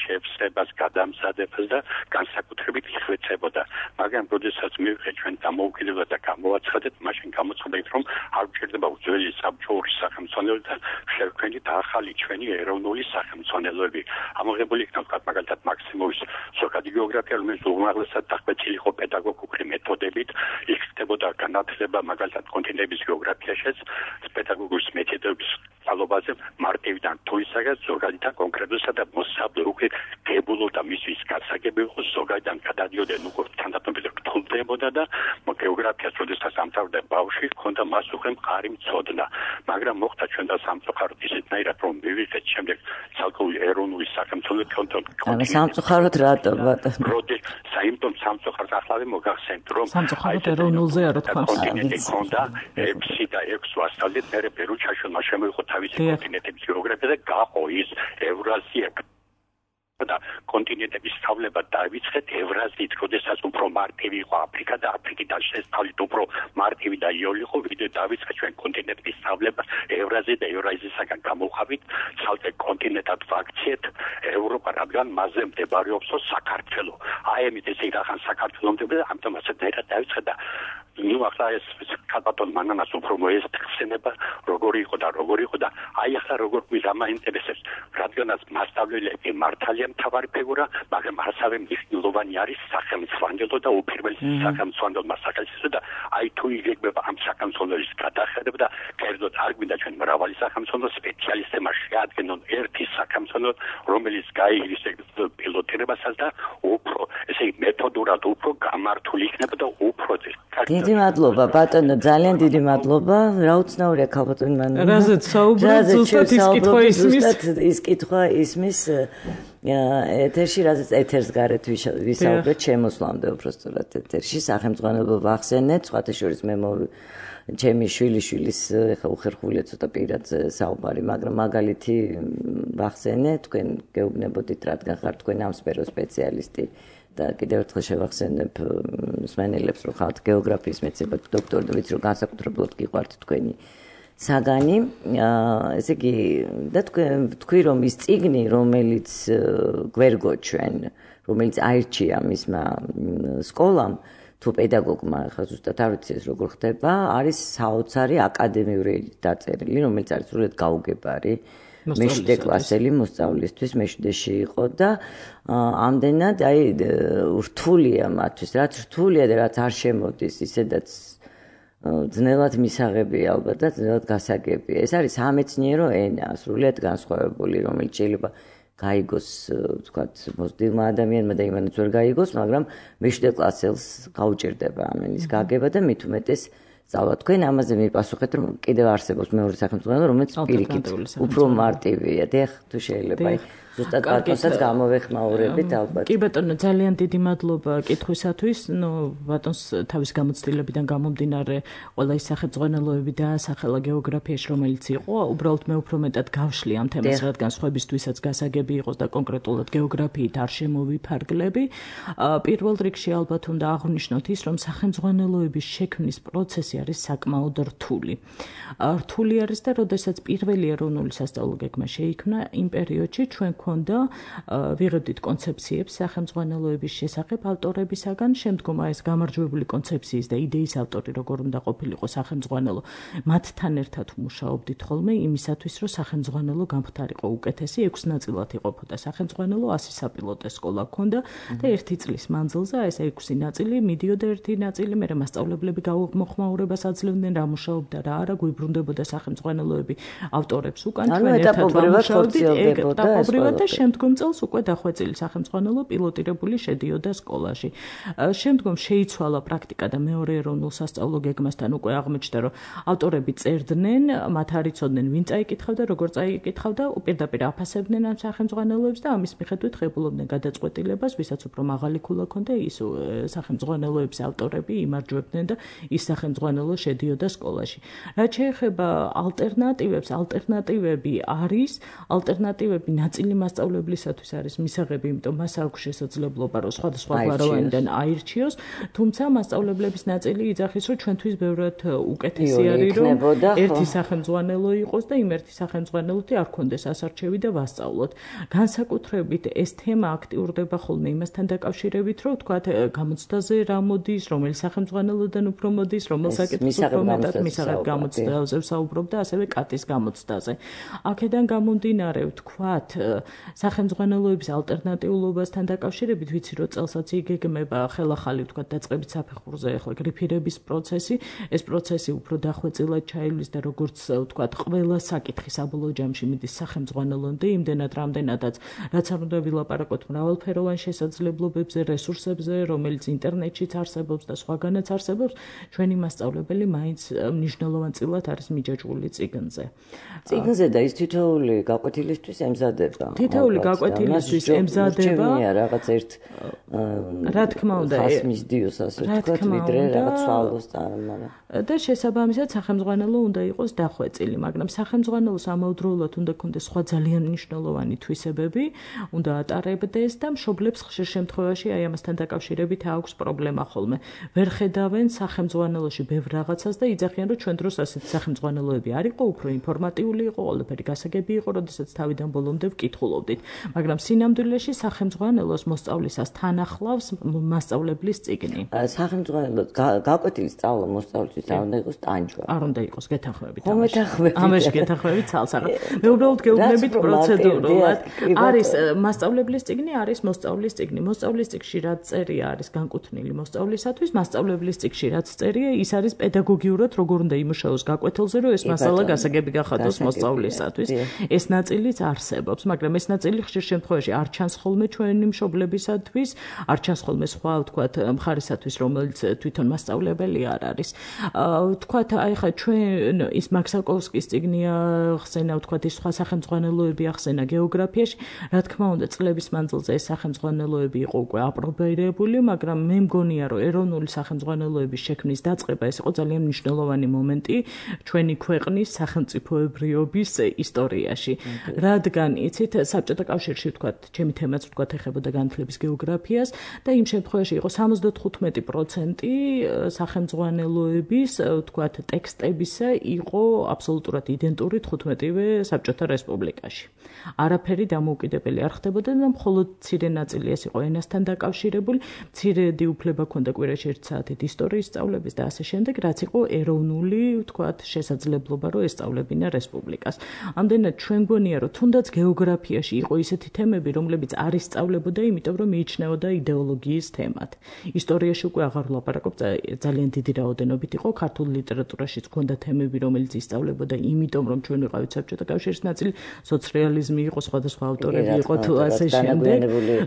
შევსებას, გადამზადებას და განსაკუთრებით იხვეწებოდა. მაგრამ როდესაც მივიღეთ ჩვენ დამოუკიდებლად და გამოვაცხადეთ, მაშინ გამოცხადეთ, რომ არ გვჭირდება უძველი საბჭოური სახელმძღვანელოები და შევქმნით ახალი ჩვენი ეროვნული სახელმძღვანელოები. ამოღებული იქნა მაგალითად მაქსიმოვის ზოგადი გეოგრაფია, რომელიც უმაღლესად დახვეწილი იყო პედაგოგიური მეთოდებით, იქნებოდა განათლება მაგალითად კონტინენტების გეოგრაფიაშიც, პედაგოგური მეთოდების სწავლობაზე მარტივიდან თუისაგან ზოგადიდან კონკრეტულსა და მოსაბლოკი გებულობდა მისთვის გასაგები იყო ზოგადიდან გადადიოდნენ უკვე თანდათანობით რთულდებოდა და გეოგრაფიას როდესაც ამთავრდა ბავშვი ჰქონდა მას უკვე მყარი მცოდნა მაგრამ მოხდა ჩვენ და სამწუხაროდ ისეთნაირად რომ მივიღეთ შემდეგ ცალკეული ეროვნული სახელმწიფო კონტროლი სამწუხაროდ რატო ბატონო როდის საიმტომ სამწუხაროდ ახლავე მოგახსენთ რომ სამწუხაროდ ეროვნულზე არ თქვა კონტინენტი ჰქონდა ექვსი და ექვსი ასწავლეთ მე პერუჩაშულმა შემოიღო თავისი კონტინენტების გეოგრაფია და გაყო ის ევრაზია და კონტინენტების სწავლება დაიწყეთ ევრაზიით, როდესაც უფრო მარტივი იყო აფრიკა და აფრიკიდან შესწავლით უფრო მარტივი და იოლი იყო, ვიდრე დაიწყეთ ჩვენ კონტინენტების სწავლება ევრაზია და ევრაზიისაგან გამოვხავით ცალკე კონტინენტად ვაქციეთ ევროპა, რადგან მასზე მდებარეობს საქართველო. აი ამით ესე რახან საქართველოს მდებოდა, ამიტომ ასე დაიწყეთ და ნუ ახლა ეს ქალბატონ მანანას უფრო მოესწრება, როგორი იყო და როგორი იყო და აი ახლა როგორ გვიდა მაინტერესებს, რადგანაც მასწავლებლები მართალია მთავარი ფიგურა, მაგრამ ასევე მნიშვნელოვანი არის სახელმძღვანელო და უპირველესი სახელმძღვანელო საკითხი და აი თუ იგეგმება ამ სახელმძღვანელოს გადახედება და კერძოდ არ გვინდა ჩვენ მრავალი სახელმძღვანელო სპეციალისტებმა შეადგენონ ერთი სახელმძღვანელო, რომელიც გაიგრძელებს პილოტირებასაც და უფრო ესე მეთოდურად უფრო გამართული იქნება და უფრო დიდი მადლობა ბატონო, ძალიან დიდი მადლობა. რა უცნაურია ქალბატონი მან. რაზეც საუბრობთ, ზუსტად ის კითხვა ისმის. ის კითხვა ისმის ეთერში, რაზეც ეთერს გარეთ ვისაუბრეთ შემოსვლამდე უბრალოდ ეთერში სახელმძღვანელო ვახსენეთ, სხვათა შორის მე ჩემი შვილიშვილის ხა უხერხულია ცოტა პირად საუბარი, მაგრამ მაგალითი ვახსენე, თქვენ გეუბნებოდით, რადგან ხართ თქვენ ამ სფეროს სპეციალისტი და კიდევ ერთხელ შევახსენებ მსმენელებს, რომ ხართ გეოგრაფიის მეცნიერებათა დოქტორი და ვიცი, რომ განსაკუთრებულად გიყვართ თქვენი საგანი, ესე იგი და თქვენ თქვი, რომ ის წიგნი, რომელიც გვერგო ჩვენ, რომელიც აირჩია მისმა სკოლამ თუ პედაგოგმა, ხა ზუსტად არ ვიცი ეს როგორ ხდება, არის საოცარი აკადემიური დაწერილი, რომელიც არის სრულიად გაუგებარი. მეშვიდე კლასელი მოსწავლისთვის მეშვიდეში იყო და ამდენად აი რთულია მათთვის, რაც რთულია და რაც არ შემოდის, ისედაც ძნელად მისაღებია ალბათ და ძნელად გასაგებია. ეს არის სამეცნიერო ენა, სრულიად განსხვავებული, რომელიც შეიძლება გაიგოს, ვთქვათ, მოსდილმა ადამიანმა და იმანაც ვერ გაიგოს, მაგრამ მეშვიდე კლასელს გაუჭირდება ამ ენის გაგება და მით უმეტეს სწავლა. თქვენ ამაზე მიპასუხეთ, რომ კიდევ არსებობს მეორე სახელმძღვანელო, რომელიც პირიქით უფრო მარტივია. დიახ, თუ შეიძლება. ზუსტად ბატონსაც გამოვეხმაურებით ალბათ. კი ბატონო, ძალიან დიდი მადლობა კითხვისათვის. ნუ ბატონს თავის გამოცდილებიდან გამომდინარე ყველა ის სახელმძღვანელოები დაასახელა გეოგრაფიაში, რომელიც იყო, უბრალოდ მე უფრო მეტად გავშლი ამ თემას, რადგან სხვებისთვისაც გასაგები იყოს და კონკრეტულად გეოგრაფიით არ შემოვიფარგლები. პირველ რიგში ალბათ უნდა აღვნიშნოთ ის, რომ სახელმძღვანელოების შექმნის პროცესი არის საკმაოდ რთული. რთული არის და როდესაც პირველი ეროვნული სასწავლო გეგმა შეიქმნა, იმ პერიოდში ჩვენ ქონდა ვიღებდით კონცეფციებს სახელმძღვანელოების შესახებ ავტორებისაგან, შემდგომ ეს გამარჯვებული კონცეფციის და იდეის ავტორი როგორ უნდა ყოფილიყო სახელმძღვანელო, მათთან ერთად მუშაობდით ხოლმე იმისათვის, რომ სახელმძღვანელო გამხდარიყო უკეთესი, ექვს ნაწილად იყოფოდა სახელმძღვანელო, ასი საპილოტე სკოლა ქონდა და ერთი წლის მანძილზე ეს ექვსი ნაწილი მიდიოდა ერთი ნაწილი, მერე მასწავლებლები გამოხმაურებას აძლევდნენ, რა მუშაობდა რა არა, გვიბრუნდებოდა სახელმძღვანელოები ავტორებს უკან, ჩვენ ერთად ვამუშაობდით ეტაპობრივად და შემდგომ წელს უკვე დახვეწილი სახელმძღვანელო პილოტირებული შედიოდა სკოლაში. შემდგომ შეიცვალა პრაქტიკა და მეორე ეროვნულ სასწავლო გეგმასთან უკვე აღმოჩნდა, რომ ავტორები წერდნენ, მათ არ იცოდნენ ვინ წაიკითხავდა, როგორ წაიკითხავდა, პირდაპირ აფასებდნენ ამ სახელმძღვანელოებს და ამის მიხედვით ღებულობდნენ გადაწყვეტილებას, ვისაც უფრო მაღალი ქულა ჰქონდა, ის სახელმძღვანელოების ავტორები იმარჯვებდნენ და ის სახელმძღვანელო შედიოდა სკოლაში. რაც შეეხება ალტერნატივებს, ალტერნატივები არის, ალტერნატივები ნაწილი მასწავლებლისათვის არის მისაღები, იმიტომ მას აქვს შესაძლებლობა, რომ სხვადასხვა გვაროვანიდან აირჩიოს, თუმცა მასწავლებლების ნაწილი იძახის, რომ ჩვენთვის ბევრად უკეთესი არის, რომ ერთი სახელმძღვანელო იყოს და იმ ერთი სახელმძღვანელოთი არ ქონდეს ასარჩევი და ვასწავლოთ. განსაკუთრებით ეს თემა აქტიურდება ხოლმე იმასთან დაკავშირებით, რომ ვთქვათ, გამოცდაზე რა მოდის, რომელი სახელმძღვანელოდან უფრო მოდის, რომელ საკითხს უფრო მეტად მისაღებ გამოცდაზე ვსაუბრობ და ასევე კატის გამოცდაზე. აქედან გამომდინარე, ვთქვათ, სახელმძღვანელოების ალტერნატიულობასთან დაკავშირებით, ვიცი, რომ წელსაც იგეგმება ხელახალი, ვთქვათ, დაწყებით საფეხურზე ახლა გრიფირების პროცესი. ეს პროცესი უფრო დახვეწილად ჩაივლის და როგორც ვთქვათ, ყველა საკითხი საბოლოო ჯამში მიდის სახელმძღვანელომდე, იმდენად რამდენადაც რაც არ უნდა ვილაპარაკოთ მრავალფეროვან შესაძლებლობებზე, რესურსებზე, რომელიც ინტერნეტშიც არსებობს და სხვაგანაც არსებობს, ჩვენი მასწავლებელი მაინც მნიშვნელოვანწილად არის მიჯაჭვული წიგნზე. წიგნზე და ის თითოეული გაკვეთილისთვის ემზადება. თითოეული გაკვეთილისთვის ემზადება. რაღაც ერთ რა თქმა უნდა, ხასმის დიოს ასე ვთქვათ, ვიდრე რაღაც სვალოს წარმარა. და შესაბამისად სახელმძღვანელო უნდა იყოს დახვეწილი, მაგრამ სახელმძღვანელოს ამავდროულად უნდა ქონდეს სხვა ძალიან მნიშვნელოვანი თვისებები, უნდა ატარებდეს და მშობლებს ხშირ შემთხვევაში აი ამასთან დაკავშირებით აქვს პრობლემა ხოლმე. ვერ ხედავენ სახელმძღვანელოში ბევრ რაღაცას და იძახიან, რომ ჩვენ დროს ასეთი სახელმძღვანელოები არ იყო, უფრო ინფორმატიული იყო, ყველაფერი გასაგები იყო, როდესაც თავიდან ბოლომდე ვკითხულობ. ვცხოვრობდით, მაგრამ სინამდვილეში სახელმძღვანელოს მოსწავლისას თან ახლავს მასწავლებლის წიგნი. სახელმძღვანელოს გაკვეთილი სწავლა მოსწავლისთვის არ უნდა იყოს ტანჯვა. არ უნდა იყოს გეთანხმებით. ხომ მეთანხმებით. ამაში გეთანხმებით ცალსაღად. მე უბრალოდ გეუბნებით პროცედურულად. არის მასწავლებლის წიგნი, არის მოსწავლის წიგნი. მოსწავლის წიგნში რაც წერია არის განკუთვნილი მოსწავლისათვის, მასწავლებლის წიგნში რაც წერია, ის არის პედაგოგიურად როგორ უნდა იმუშაოს გაკვეთილზე, რომ ეს მასალა გასაგები გახადოს მოსწავლისათვის. ეს ნაწილიც არსებობს, მაგრამ ეს ნაწილი ხშირ შემთხვევაში არ ჩანს ხოლმე ჩვენი მშობლებისათვის, არ ჩანს ხოლმე სხვა ვთქვათ მხარისათვის, რომელიც თვითონ მასწავლებელი არ არის. ვთქვათ, აი ხა ჩვენ ის მაქსაკოვსკის წიგნი ახსენა, ვთქვათ, ის სხვა სახელმძღვანელოები ახსენა გეოგრაფიაში, რა თქმა უნდა, წლების მანძილზე ეს სახელმძღვანელოები იყო უკვე აპრობირებული, მაგრამ მე მგონია, რომ ეროვნული სახელმძღვანელოების შექმნის დაწყება ეს იყო ძალიან მნიშვნელოვანი მომენტი ჩვენი ქვეყნის სახელმწიფოებრიობის ისტორიაში. რადგან იცით, საბჭოთა კავშირში ვთქვათ, ჩემი თემაც ვთქვათ ეხებოდა განათლების გეოგრაფიას და იმ შემთხვევაში იყო სამოცდათხუთმეტი პროცენტი სახელმძღვანელოების ვთქვათ ტექსტებისა იყო აბსოლუტურად იდენტური თხუთმეტივე საბჭოთა რესპუბლიკაში. არაფერი დამოუკიდებელი არ ხდებოდა და მხოლოდ მცირე ნაწილი ეს იყო ენასთან დაკავშირებული, მცირედი უფლება ჰქონდა კვირაში ერთ საათით ისტორიის სწავლების და ასე შემდეგ, რაც იყო ეროვნული ვთქვათ შესაძლებლობა, რომ ესწავლებინა რესპუბლიკას. ამდენად ჩვენ გვონია, რომ თუნდაც გეოგრაფიაში იყო ისეთი თემები, რომლებიც არ ისწავლებოდა, იმიტომ რომ მიიჩნეოდა იდეოლოგიის თემად. ისტორიაში უკვე აღარ ვლაპარაკობ, ძალიან დიდი რაოდენობით იყო ქართულ ლიტერატურაშიც ჰქონდა თემები, რომელიც ისწავლებოდა, იმიტომ რომ ჩვენ ვიყავით საბჭოთა კავშირის ნაწილი, სოციალიზმი იყო, სხვადასხვა ავტორები იყო თუ ასე შემდეგ.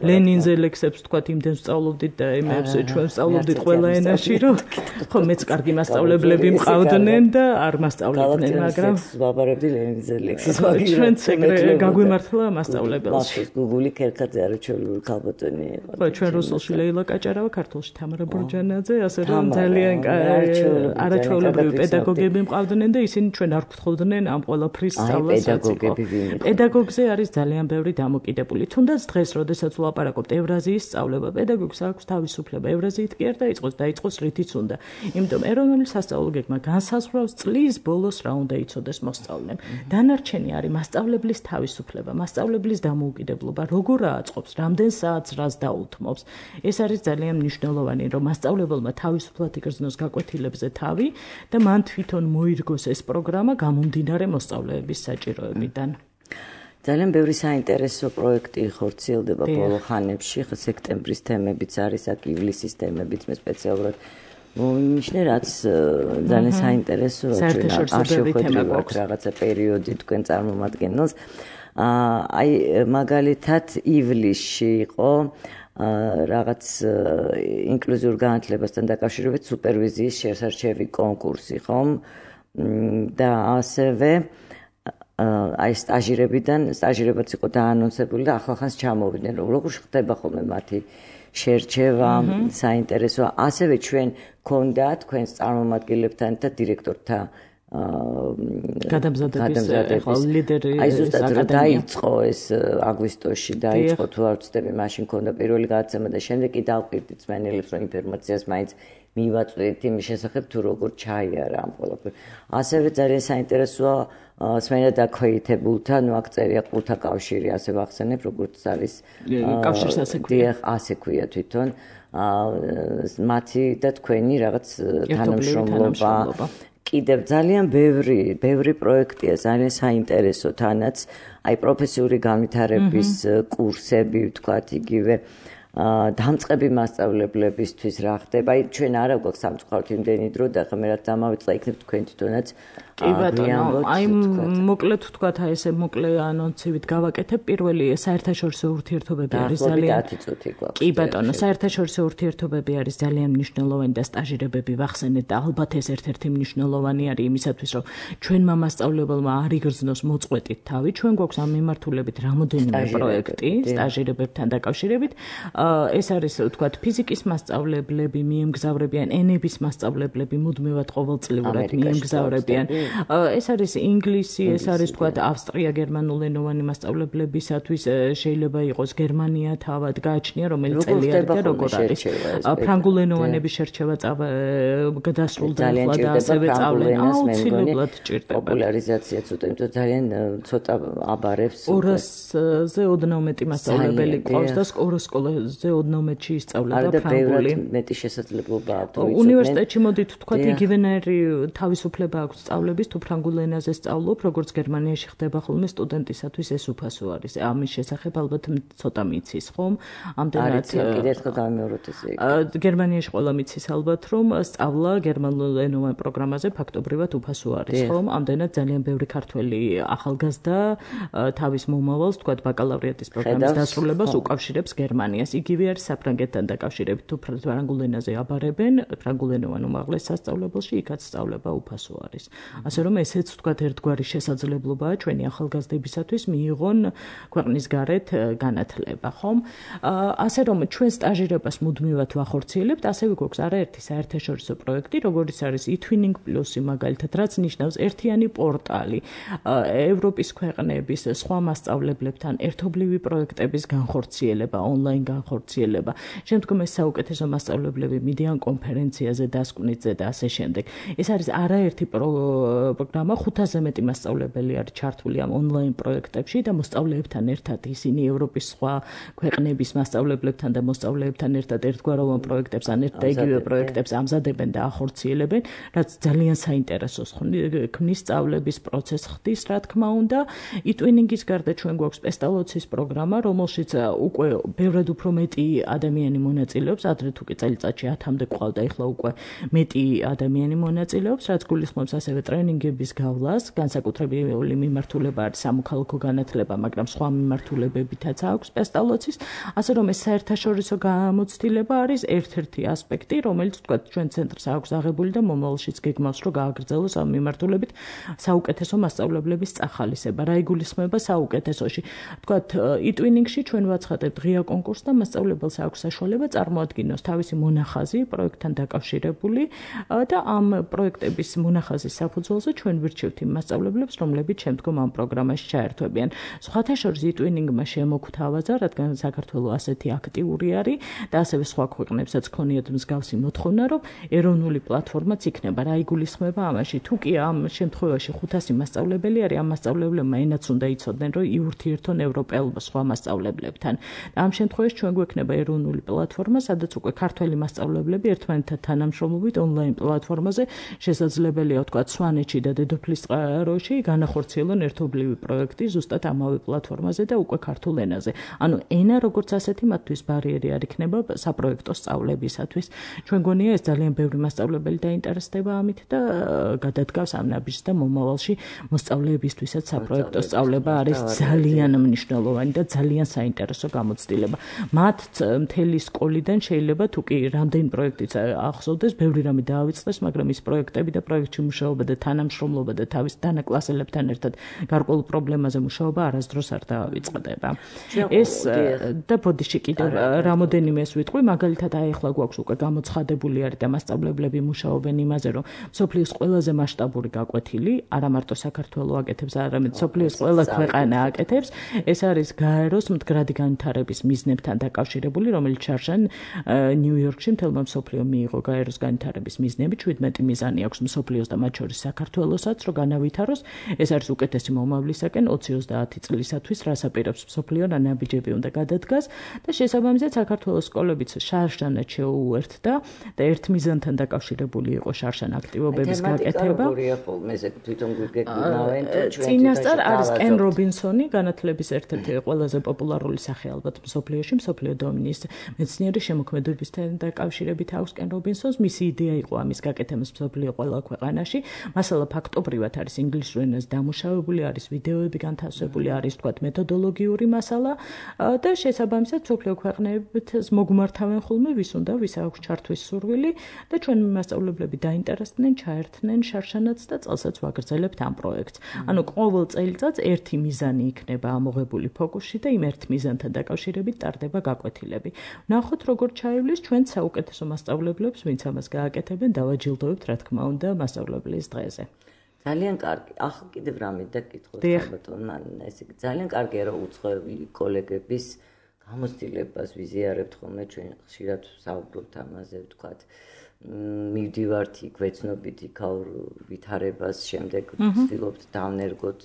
ლენინზე ლექსებს ვთქვათ, იმდენ ვსწავლობდით და იმებს ჩვენ ვსწავლობდით ყველა ენაში, რომ ხო მეც კარგი მასწავლებლები მყავდნენ და არ მასწავლებდნენ, მაგრამ ვაბარებდი ლენინზე ლექსის მაგის ჩვენც ეგრე გაგვიმართლა მასწავლებელში. გუგული ქერქაძე არაჩვეულებრივი ქალბატონი იყო. ხო, ჩვენ რუსულში ლეილა კაჭარავა, ქართულში თამარა ბურჯანაძე, ასე რომ ძალიან არაჩვეულებრივი პედაგოგები მყავდნენ და ისინი ჩვენ არ გვთხოვდნენ ამ ყველაფრის სწავლასაც იყო. პედაგოგზე არის ძალიან ბევრი დამოკიდებული. თუნდაც დღეს, როდესაც ვლაპარაკობთ ევრაზიის სწავლება, პედაგოგს აქვს თავისუფლება ევრაზიით კი არ დაიწყოს, დაიწყოს რითიც უნდა. იმიტომ ეროვნული სასწავლო გეგმა განსაზღვრავს წლის ბოლოს რა უნდა იცოდეს მოსწავლემ. დანარჩენი არის მასწავლებლის თავისუფლება, მასწავლებლის დამოუკიდებლობა, როგორ აწყობს, რამდენ საათს რას დაუთმობს. ეს არის ძალიან მნიშვნელოვანი, რომ მასწავლებელმა თავისუფლად იგრძნოს გაკვეთილებზე თავი და მან თვითონ მოირგოს ეს პროგრამა გამომდინარე მოსწავლეების საჭიროებიდან. ძალიან ბევრი საინტერესო პროექტი ხორციელდება ბოლო ხანებში, სექტემბრის თემებიც არის, აქ ივლისის თემებიც მე სპეციალურად მომინიშნე, რაც ძალიან საინტერესო, ჩვენ არ შევხვედრივართ რაღაცა პერიოდი თქვენ წარმომადგენელს. აი მაგალითად ივლისში იყო რაღაც ინკლუზიურ განათლებასთან დაკავშირებით სუპერვიზიის შესარჩევი კონკურსი, ხომ? და ასევე აი სტაჟირებიდან, სტაჟირებაც იყო დაანონსებული და ახლახანს ჩამოვიდნენ, რომ როგორ ხდება ხოლმე მათი შერჩევა, საინტერესოა. ასევე ჩვენ გქონდა თქვენს წარმომადგენლებთან და დირექტორთა გადამზადების ლიდერი აი ზუსტად რა დაიწყო ეს აგვისტოში დაიწყო თუ არ ვცდები, მაშინ გქონდა პირველი გადაცემა და შემდეგ კი დავყირდით მსმენელებს, რომ ინფორმაციას მაინც მივაწვდით იმის შესახებ თუ როგორ ჩაიარა ამ ყველაფერს. ასევე ძალიან საინტერესოა სმენა დაქვეითებულთა, ნუ აქ წერია ყურთა კავშირი, ასე ვახსენებ, როგორც არის კავშირს ასე ქვია. ასე ქვია თვითონ. მათი და თქვენი რაღაც თანამშრომლობა. კიდევ ძალიან ბევრი, ბევრი პროექტია, ძალიან საინტერესო თანაც, აი პროფესიული განვითარების კურსები, ვთქვათ, იგივე დამწყები მასწავლებლებისთვის რა ხდება. აი ჩვენ არა გვაქვს სამწუხაროდ იმდენი დრო და ხა მე რაც დამავიწყდა იქნებ თქვენ თვითონაც კი ბატონო, აი მოკლედ ვთქვათ, აი ესე მოკლე ანონსივით გავაკეთებ. პირველი საერთაშორისო ურთიერთობები არის ძალიან კი ბატონო, საერთაშორისო ურთიერთობები არის ძალიან მნიშვნელოვანი და სტაჟირებები ვახსენეთ და ალბათ ეს ერთ-ერთი მნიშვნელოვანი არის იმისათვის, რომ ჩვენმა მასწავლებელმა არ იგრძნოს მოწყვეტით თავი. ჩვენ გვაქვს ამ მიმართულებით რამოდენიმე პროექტი სტაჟირებებთან დაკავშირებით. ეს არის ვთქვათ ფიზიკის მასწავლებლები მიემგზავრებიან, ენების მასწავლებლები მუდმივად ყოველწლიურად მიემგზავრებიან. ეს არის ინგლისი, ეს არის ვთქვათ ავსტრია-გერმანულენოვანი მასწავლებლებისათვის შეიძლება იყოს გერმანია თავად გააჩნია რომელიც წელიწად და როგორ არის. ფრანგულენოვანების შერჩევა გადასრულდა ახლა და ასევე სწავლენ აუცილებლად ჭირდება. პოპულარიზაცია ცოტა იმიტომ ძალიან ცოტა აბარებს ორასზე ოდნავ მეტი მასწავლებელი ყავს და ორ სკოლაზე ოდნავ მეტი ისწავლება ფრანგული. მეტი შესაძლებლობა აქვს. უნივერსიტეტში მოდით თქვათ იგივენაირი თავისუფლება აქვს სწავლების თუ ფრანგულ ენაზე სწავლობ, როგორც გერმანიაში ხდება ხოლმე სტუდენტისათვის ეს უფასო არის. ამის შესახებ ალბათ ცოტა მიცის, ხომ? ამდენად კიდევ ერთხელ დავიმეოროთ ესე. გერმანიაში ყველა მიცის ალბათ, რომ სწავლა გერმანულენოვან პროგრამაზე ფაქტობრივად უფასო არის, ხომ? ამდენად ძალიან ბევრი ქართველი ახალგაზრდა თავის მომავალს, თქვათ ბაკალავრიატის პროგრამის დასრულებას უკავშირებს გერმანიას. იგივე არის საფრანგეთთან დაკავშირებით, თუ ფრანგულ ენაზე აბარებენ, ფრანგულენოვან უმაღლეს სასწავლებელში, იქაც სწავლება უფასო არის. ასე რომ ესეც თქვათ ერთგვარი შესაძლებლობაა ჩვენი ახალგაზრდებისათვის მიიღონ ქვეყნის გარეთ განათლება, ხომ? ასე რომ ჩვენ სტაჟირებას მუდმივად ვახორციელებთ, ასევე გვაქვს არაერთი საერთაშორისო პროექტი, როგორც არის e-twinning plus-ი მაგალითად, რაც ნიშნავს ერთიანი პორტალი ევროპის ქვეყნების სხვა მასწავლებლებთან ერთობლივი პროექტების განხორციელება, ონლაინ განხორციელება. შემდგომ ეს საუკეთესო მასწავლებლები მიდიან კონფერენციაზე დასკვნითზე და ასე შემდეგ. ეს არის არაერთი პროგრამა, ხუთასზე მეტი მასწავლებელი არის ჩართული ამ ონლაინ პროექტებში და მოსწავლეებთან ერთად ისინი ევროპის სხვა ქვეყნების მასწავლებლებთან და მოსწავლეებთან ერთად ერთგვაროვან პროექტებს ან ერთ და იგივე პროექტებს ამზადებენ და ახორციელებენ, რაც ძალიან საინტერესოს ქმნის სწავლების პროცესს ხდის, რა თქმა უნდა. e-twinning-ის გარდა ჩვენ გვაქვს პესტალოცის პროგრამა, რომელშიც უკვე ბევრად უფრო მეტი ადამიანი მონაწილეობს, ადრე თუ კი წელიწადში ათამდე ყავდა, ეხლა უკვე მეტი ადამიანი მონაწილეობს, რაც გულისხმობს ასევე ტრენინგების გავლას, განსაკუთრებული მიმართულება არის სამოქალაქო განათლება, მაგრამ სხვა მიმართულებებითაც აქვს პესტალოცის, ასე რომ ეს საერთაშორისო გამოცდილება არის ერთ-ერთი ასპექტი, რომელიც თქვა ჩვენ ცენტრს აქვს აღებული და მომავალშიც გეგმავს, რომ გააგრძელოს ამ მიმართულებით საუკეთესო მასწავლებლების წახალისება. რა იგულისხმება საუკეთესოში? თქვა e-twinning-ში ჩვენ ვაცხადებთ ღია კონკურსს და მასწავლებელს აქვს საშუალება წარმოადგინოს თავისი მონახაზი პროექტთან დაკავშირებული და ამ პროექტების მონახაზის საფუძველზე ჩვენ ვირჩევთ იმ მასწავლებლებს, რომლებიც შემდგომ ამ პროგრამაში ჩაერთვებიან. სხვათა შორის e-twinning-მა შემოგთავაზა, რადგან საქართველოს ასეთი აქტიური არის და ასევე სხვა ქვეყნებსაც ქონიათ მსგავსი მოთხოვნა, რომ ეროვნული პლატფორმაც იქნება. რა იგულისხმება ამაში? თუ კი ამ შემთხვევაში ხუთასი მასწავლებელი არის, ამ მასწავლებლებმა ენაც უნდა იცოდნენ, რომ იურთიერთონ ევროპელ სხვა მასწავლებლებთან. ამ შემთხვევაში ჩვენ გვექნება ეროვნული პლატფორმა, სადაც უკვე ქართველი მასწავლებლები ერთმანეთთან თანამშრომლობით ონლაინ პლატფორმაზე შესაძლებელია ვთქვათ სვანეთში და დედოფლის წყაროში განახორციელონ ერთობლივი პროექტი ზუსტად ამავე პლატფორმაზე და უკვე ქართულ ენაზე. ანუ ენა როგორც ასეთი მათთვის ბარიერი არ იქნება საპროექტო სწავლებისათვის. ჩვენ გონია ეს ძალიან ბევრი მასწავლებელი დაინტერესდება ამით და გადადგავს ამ ნაბიჯს და მომავალში მოსწავლეებისთვისაც საპროექტო სწავლება არის ძალიან მნიშვნელოვანი და ძალიან საინტერესო გამოცდილება. მათ მთელი სკოლიდან შეიძლება თუ კი რამდენი პროექტიც ახსოვდეს, ბევრი რამე დაავიწყდეს, მაგრამ ის პროექტები და პროექტში მუშაობა და თანამშრომლობა და თავის დანაკლასელებთან ერთად გარკვეულ პრობლემაზე მუშაობა არასდროს არ დაავიწყდება. ეს და ბოდიში კიდევ რამოდენიმეს ვიტყვი, მაგალითად აი ახლა გვაქვს უკვე გამოცხადებული არის და მასწავლებლები მუშაობენ იმაზე, რომ მსოფლიოს ყველაზე მასშტაბური გაკვეთილი, არა მარტო საქართველოს აკეთებს, არამედ მსოფლიოს ყველა ქვეყანა აკეთებს. ეს არის გაეროს მდგრადი განვითარების მიზნებთან დაკავშირებული, რომელიც შარშან ნიუ-იორკში მთელმა მსოფლიომ მიიღო გაეროს განვითარების მიზნები, შვიდმეტი მიზანი აქვს მსოფლიოს და მათ შორის საქართველოსაც, რომ განავითაროს. ეს არის უკეთესი მომავლისაკენ ოცი ოცდაათი წლისათვის, რას აპირებს მსოფლიო რა ნაბიჯები უნდა გადადგას და შესაბამისად საქართველოს სკოლებიც შარშანად შეუერთდა და ერთ მიზანთან დაკავშირებული იყო შარშან აქტივობების გაკეთება. წინასწარ არის კენ რობინსონი, განათლების ერთ-ერთი ყველაზე პოპულარული სახე ალბათ მსოფლიოში, მსოფლიო დომინის მეცნიერი შემოქმედებისთან დაკავშირებით აქვს კენ რობინსონს. მისი იდეა იყო ამის გაკეთება მსოფლიო ყველა ქვეყანაში. მასალა ფაქტობრივად არის ინგლისურ ენაზე დამუშავებული, არის ვიდეოები განთავსებული, არის თქვათ მეთოდოლოგიური მასალა და შესაბამისად მსოფლიო ქვეყნებიც მოგმართავენ ხოლმე ვის უნდა, ვის აქვს ჩართვის სურვილი და ჩვენ მასწავლებლები დაინტერესდნენ, ჩაერთნენ შარშანაც და წელსაც ვაგრძელებთ ამ პროექტს. ანუ ყოველ წელიწადს ერთი მიზანი იქნება ამოღებული ფოკუსში და იმ ერთ მიზანთან დაკავშირებით ტარდება გაკვეთილები. ნახოთ როგორ ჩაივლის ჩვენ საუკეთესო მასწავლებლებს, ვინც ამას გააკეთებენ, დავაჯილდოვებთ რა თქმა უნდა მასწავლებლის დღეზე. ძალიან კარგი. ახლა კიდევ რამე დაკითხოთ ალბათ, მან ესე ძალიან კარგია რომ უცხოელი კოლეგების გამოცდილებას ვიზიარებთ ხოლმე ჩვენ ხშირად საუბრობთ ამაზე, ვთქვათ, მივდივართ იქ ვეცნობით იქაურ ვითარებას, შემდეგ ვცდილობთ დავნერგოთ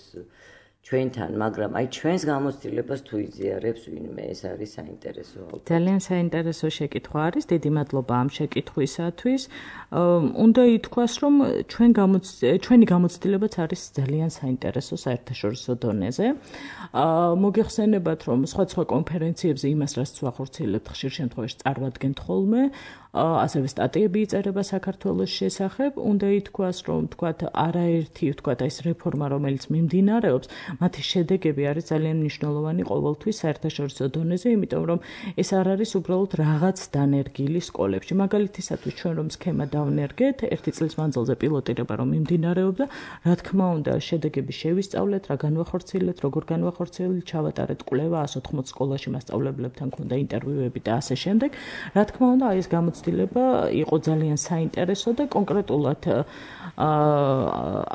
ჩვენთან, მაგრამ აი ჩვენს გამოცდილებას თუ იზიარებს ვინმე, ეს არის საინტერესო. ძალიან საინტერესო შეკითხვა არის, დიდი მადლობა ამ შეკითხვისათვის. უნდა ითქვას, რომ ჩვენ ჩვენი გამოცდილებაც არის ძალიან საინტერესო საერთაშორისო დონეზე. მოგეხსენებათ, რომ სხვა სხვა კონფერენციებზე იმას, რაც ვახორციელებთ, ხშირ შემთხვევაში წარმოადგენთ ხოლმე, ასევე სტატიები იწერება საქართველოს შესახებ. უნდა ითქვას, რომ თქვათ არაერთი თქვათ ეს რეფორმა, რომელიც მიმდინარეობს, მათი შედეგები არის ძალიან მნიშვნელოვანი ყოველთვის საერთაშორისო დონეზე, იმიტომ რომ ეს არ არის უბრალოდ რაღაც დანერგილი სკოლებში. მაგალითისათვის ჩვენ რომ სქემა დავნერგეთ, ერთი წლის მანძილზე პილოტირება რომ მიმდინარეობდა, რა თქმა უნდა, შედეგები შევისწავლეთ, რა განვახორციელეთ, როგორ განვახორციელეთ, ჩავატარეთ კვლევა ას ოთხმოც სკოლაში მასწავლებლებთან ქონდა ინტერვიუები და ასე შემდეგ. რა თქმა უნდა, აი ეს გამოცდილება იყო ძალიან საინტერესო და კონკრეტულად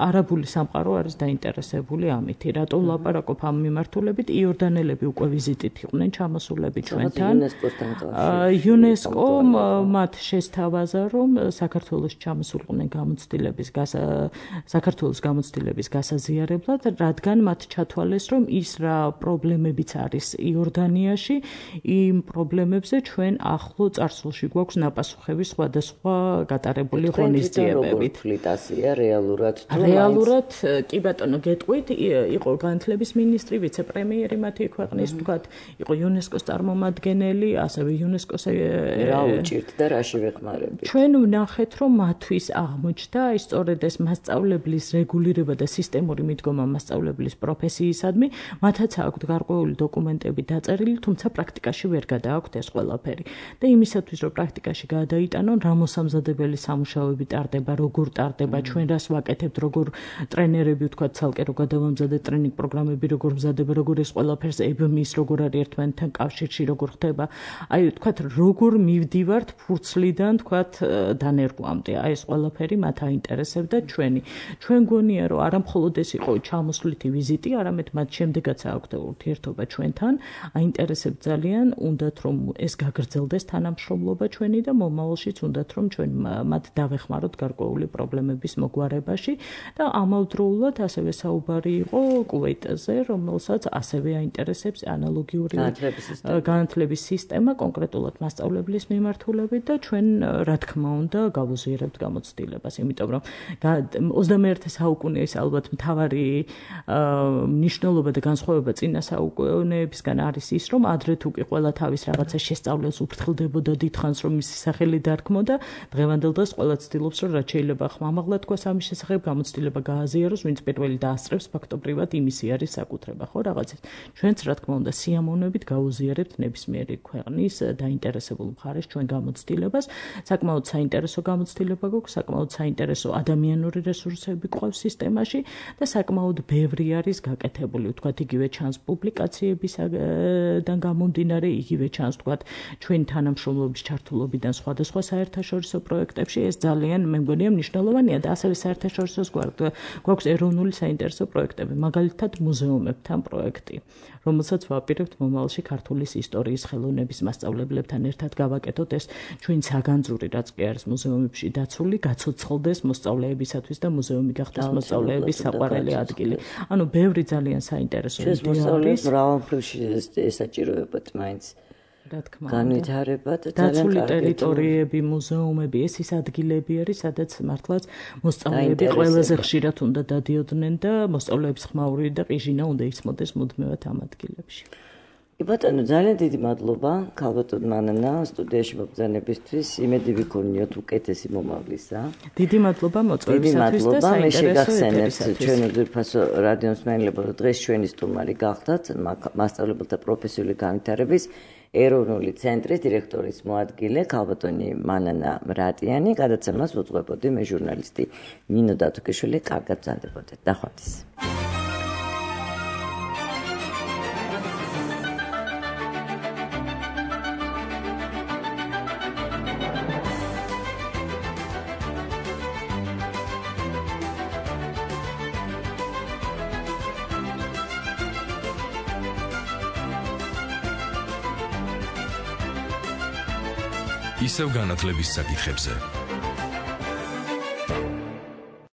არაბული სამყარო არის დაინტერესებული ამით. რატო ვლაპარაკობ ამ მიმართულებით? იორდანელები უკვე ვიზიტით იყვნენ ჩამოსულები ჩვენთან. იუნესკო მათ შესთავაზა, რომ საქართველოს ჩამოსულიყვნენ გამოცდილების საქართველოს გამოცდილების გასაზიარებლად, რადგან მათ ჩათვალეს, რომ ის რა პრობლემებიც არის იორდანიაში, იმ პრობლემებზე ჩვენ ახლო წარსულში გვაქვს ნაპასუხები სხვადასხვა გატარებული ღონისძიებებით. რეალურად თუ რეალურად კი ბატონო გეტყვით, იყო განათლების მინისტრი, ვიცე-პრემიერი მათი ქვეყნის, ვთქვათ, იყო იუნესკოს წარმომადგენელი, ასევე იუნესკოს რა უჭირთ და რაში ვეხმარებით. ჩვენ ვნახეთ, რომ მათთვის აღმოჩნდა ის სწორედ ეს მასწავლებლის რეგულირება და სისტემური მიდგომა მასწავლებლის პროფესიისადმი, მათაც აქვთ გარკვეული დოკუმენტები დაწერილი, თუმცა პრაქტიკაში ვერ გადააქვთ ეს ყველაფერი. და იმისათვის, რომ პრაქტიკაში გადაიტანონ, რა მოსამზადებელი სამუშაოები ტარდება, როგორ ტარდება, ჩვენ რას ვაკეთებთ, როგორ ტრენერები ვთქვათ, ცალკე რო გადავამზადეთ ტრენინგ პროგრამები, როგორ მზადება, როგორ ეს ყველაფერს ებმის, როგორ არის ერთმანეთთან კავშირში, როგორ ხდება. აი ვთქვათ, როგორ მივდივართ ფურცლიდან, ვთქვათ, დანერგვამდე. აი ეს ყველაფერი მათ აინტერესებდა ჩვენი. ჩვენ გონია, რომ არა მხოლოდ ეს იყო ჩამოსვლითი ვიზიტი, არამედ მათ შემდეგაც აქვთ ურთიერთობა ჩვენთან, აინტერესებთ ძალიან, უნდათ რომ ეს გაგრძელდეს თანამშრომლობა ჩვენი და მომავალშიც უნდათ რომ ჩვენ მათ დავეხმაროთ გარკვეული პრობლემების მოგვარებაში და ამავდროულად ასევე საუბარი იყო კუვეიტზე, რომელსაც ასევე აინტერესებს ანალოგიური განათლების სისტემა, კონკრეტულად მასწავლებლის მიმართულებით და ჩვენ რა თქმა უნდა გავუზიარებთ გამოცდილებას, იმიტომ რომ ოცდამეერთე საუკუნეის ალბათ მთავარი მნიშვნელობა და განსხვავება წინა საუკუნეებისგან არის ის, რომ ადრე თუ კი ყველა თავის რაღაცა შესწავლას უფრთხილდებოდა დიდხანს, რომ მისი სახელი დარქმოდა, დღევანდელ დღეს ყველა ცდილობს, რომ რაც შეიძლება ხმამაღლა თქვას ამის შესახებ, გამოცდილება გააზიაროს, ვინც პირველი დაასწრებს ფაქტობრივად იმისი არის საკუთრება, ხო რაღაცის. ჩვენც რა თქმა უნდა სიამოვნებით გაუზიარებთ ნებისმიერი ქვეყნის დაინტერესებულ მხარეს ჩვენ გამოცდილებას. საკმაოდ საინტერესო გამოცდილება გვაქვს, საკმაოდ საინტერესო ადამიანური რესურსები გვყავს სისტემაში და საკმაოდ ბევრი არის გაკეთებული, ვთქვათ, იგივე ჩანს პუბლიკაციებისგან გამომდინარე, იგივე ჩანს, ვთქვათ, ჩვენი თანამშრომლობის ჩართულობიდან სხვადასხვა საერთაშორისო პროექტებში. ეს ძალიან მე მგონია მნიშვნელოვანია და ასევე საერთაშორისოს გვაქვს ეროვნული საინტერესო პროექტები, მაგალითად მუზეუმებთან პროექტი, რომელსაც ვაპირებთ მომავალში ქართულის ისტორიის ხელოვნების მასწავლებლებთან ერთად გავაკეთოთ ეს ჩვენ საგანძური, რაც კი არის მუზეუმებში დაცული, გაცოცხლდეს მოსწავლეებისათვის და მუზეუმი გახდეს მოსწავლეების საყვარელი ადგილი. ანუ ბევრი ძალიან საინტერესო იდეა არის. მოსწავლეებს მრავალფერში ესაჭიროებათ მაინც. რა თქმა უნდა. განვითარება და დაცული ტერიტორიები, მუზეუმები, ეს ის ადგილები არის, სადაც მართლაც მოსწავლეები ყველაზე ხშირად უნდა დადიოდნენ და მოსწავლეების ხმაური და ყიჟინა უნდა იცმოდეს მუდმივად ამ ადგილებში. კი ბატონო, ძალიან დიდი მადლობა ქალბატონ მანანა სტუდიაში მოგზაურობისთვის. იმედი ვიქონიოთ უკეთესი მომავლისა. დიდი მადლობა მოწვევისათვის და საინტერესო ეთერისათვის. ჩვენ უძვირფასო რადიო მსმენელებო, დღეს ჩვენი სტუმარი გახდათ მასწავლებელთა პროფესიული განვითარების ეროვნული ცენტრის დირექტორის მოადგილე ქალბატონი მანანა მრატიანი. გადაცემას უძღვებოდი მე ჟურნალისტი ნინო დათუკიშვილი. კარგად ბრძანდებოდეთ. დახვეწეს. ისევ განათლების საკითხებზე.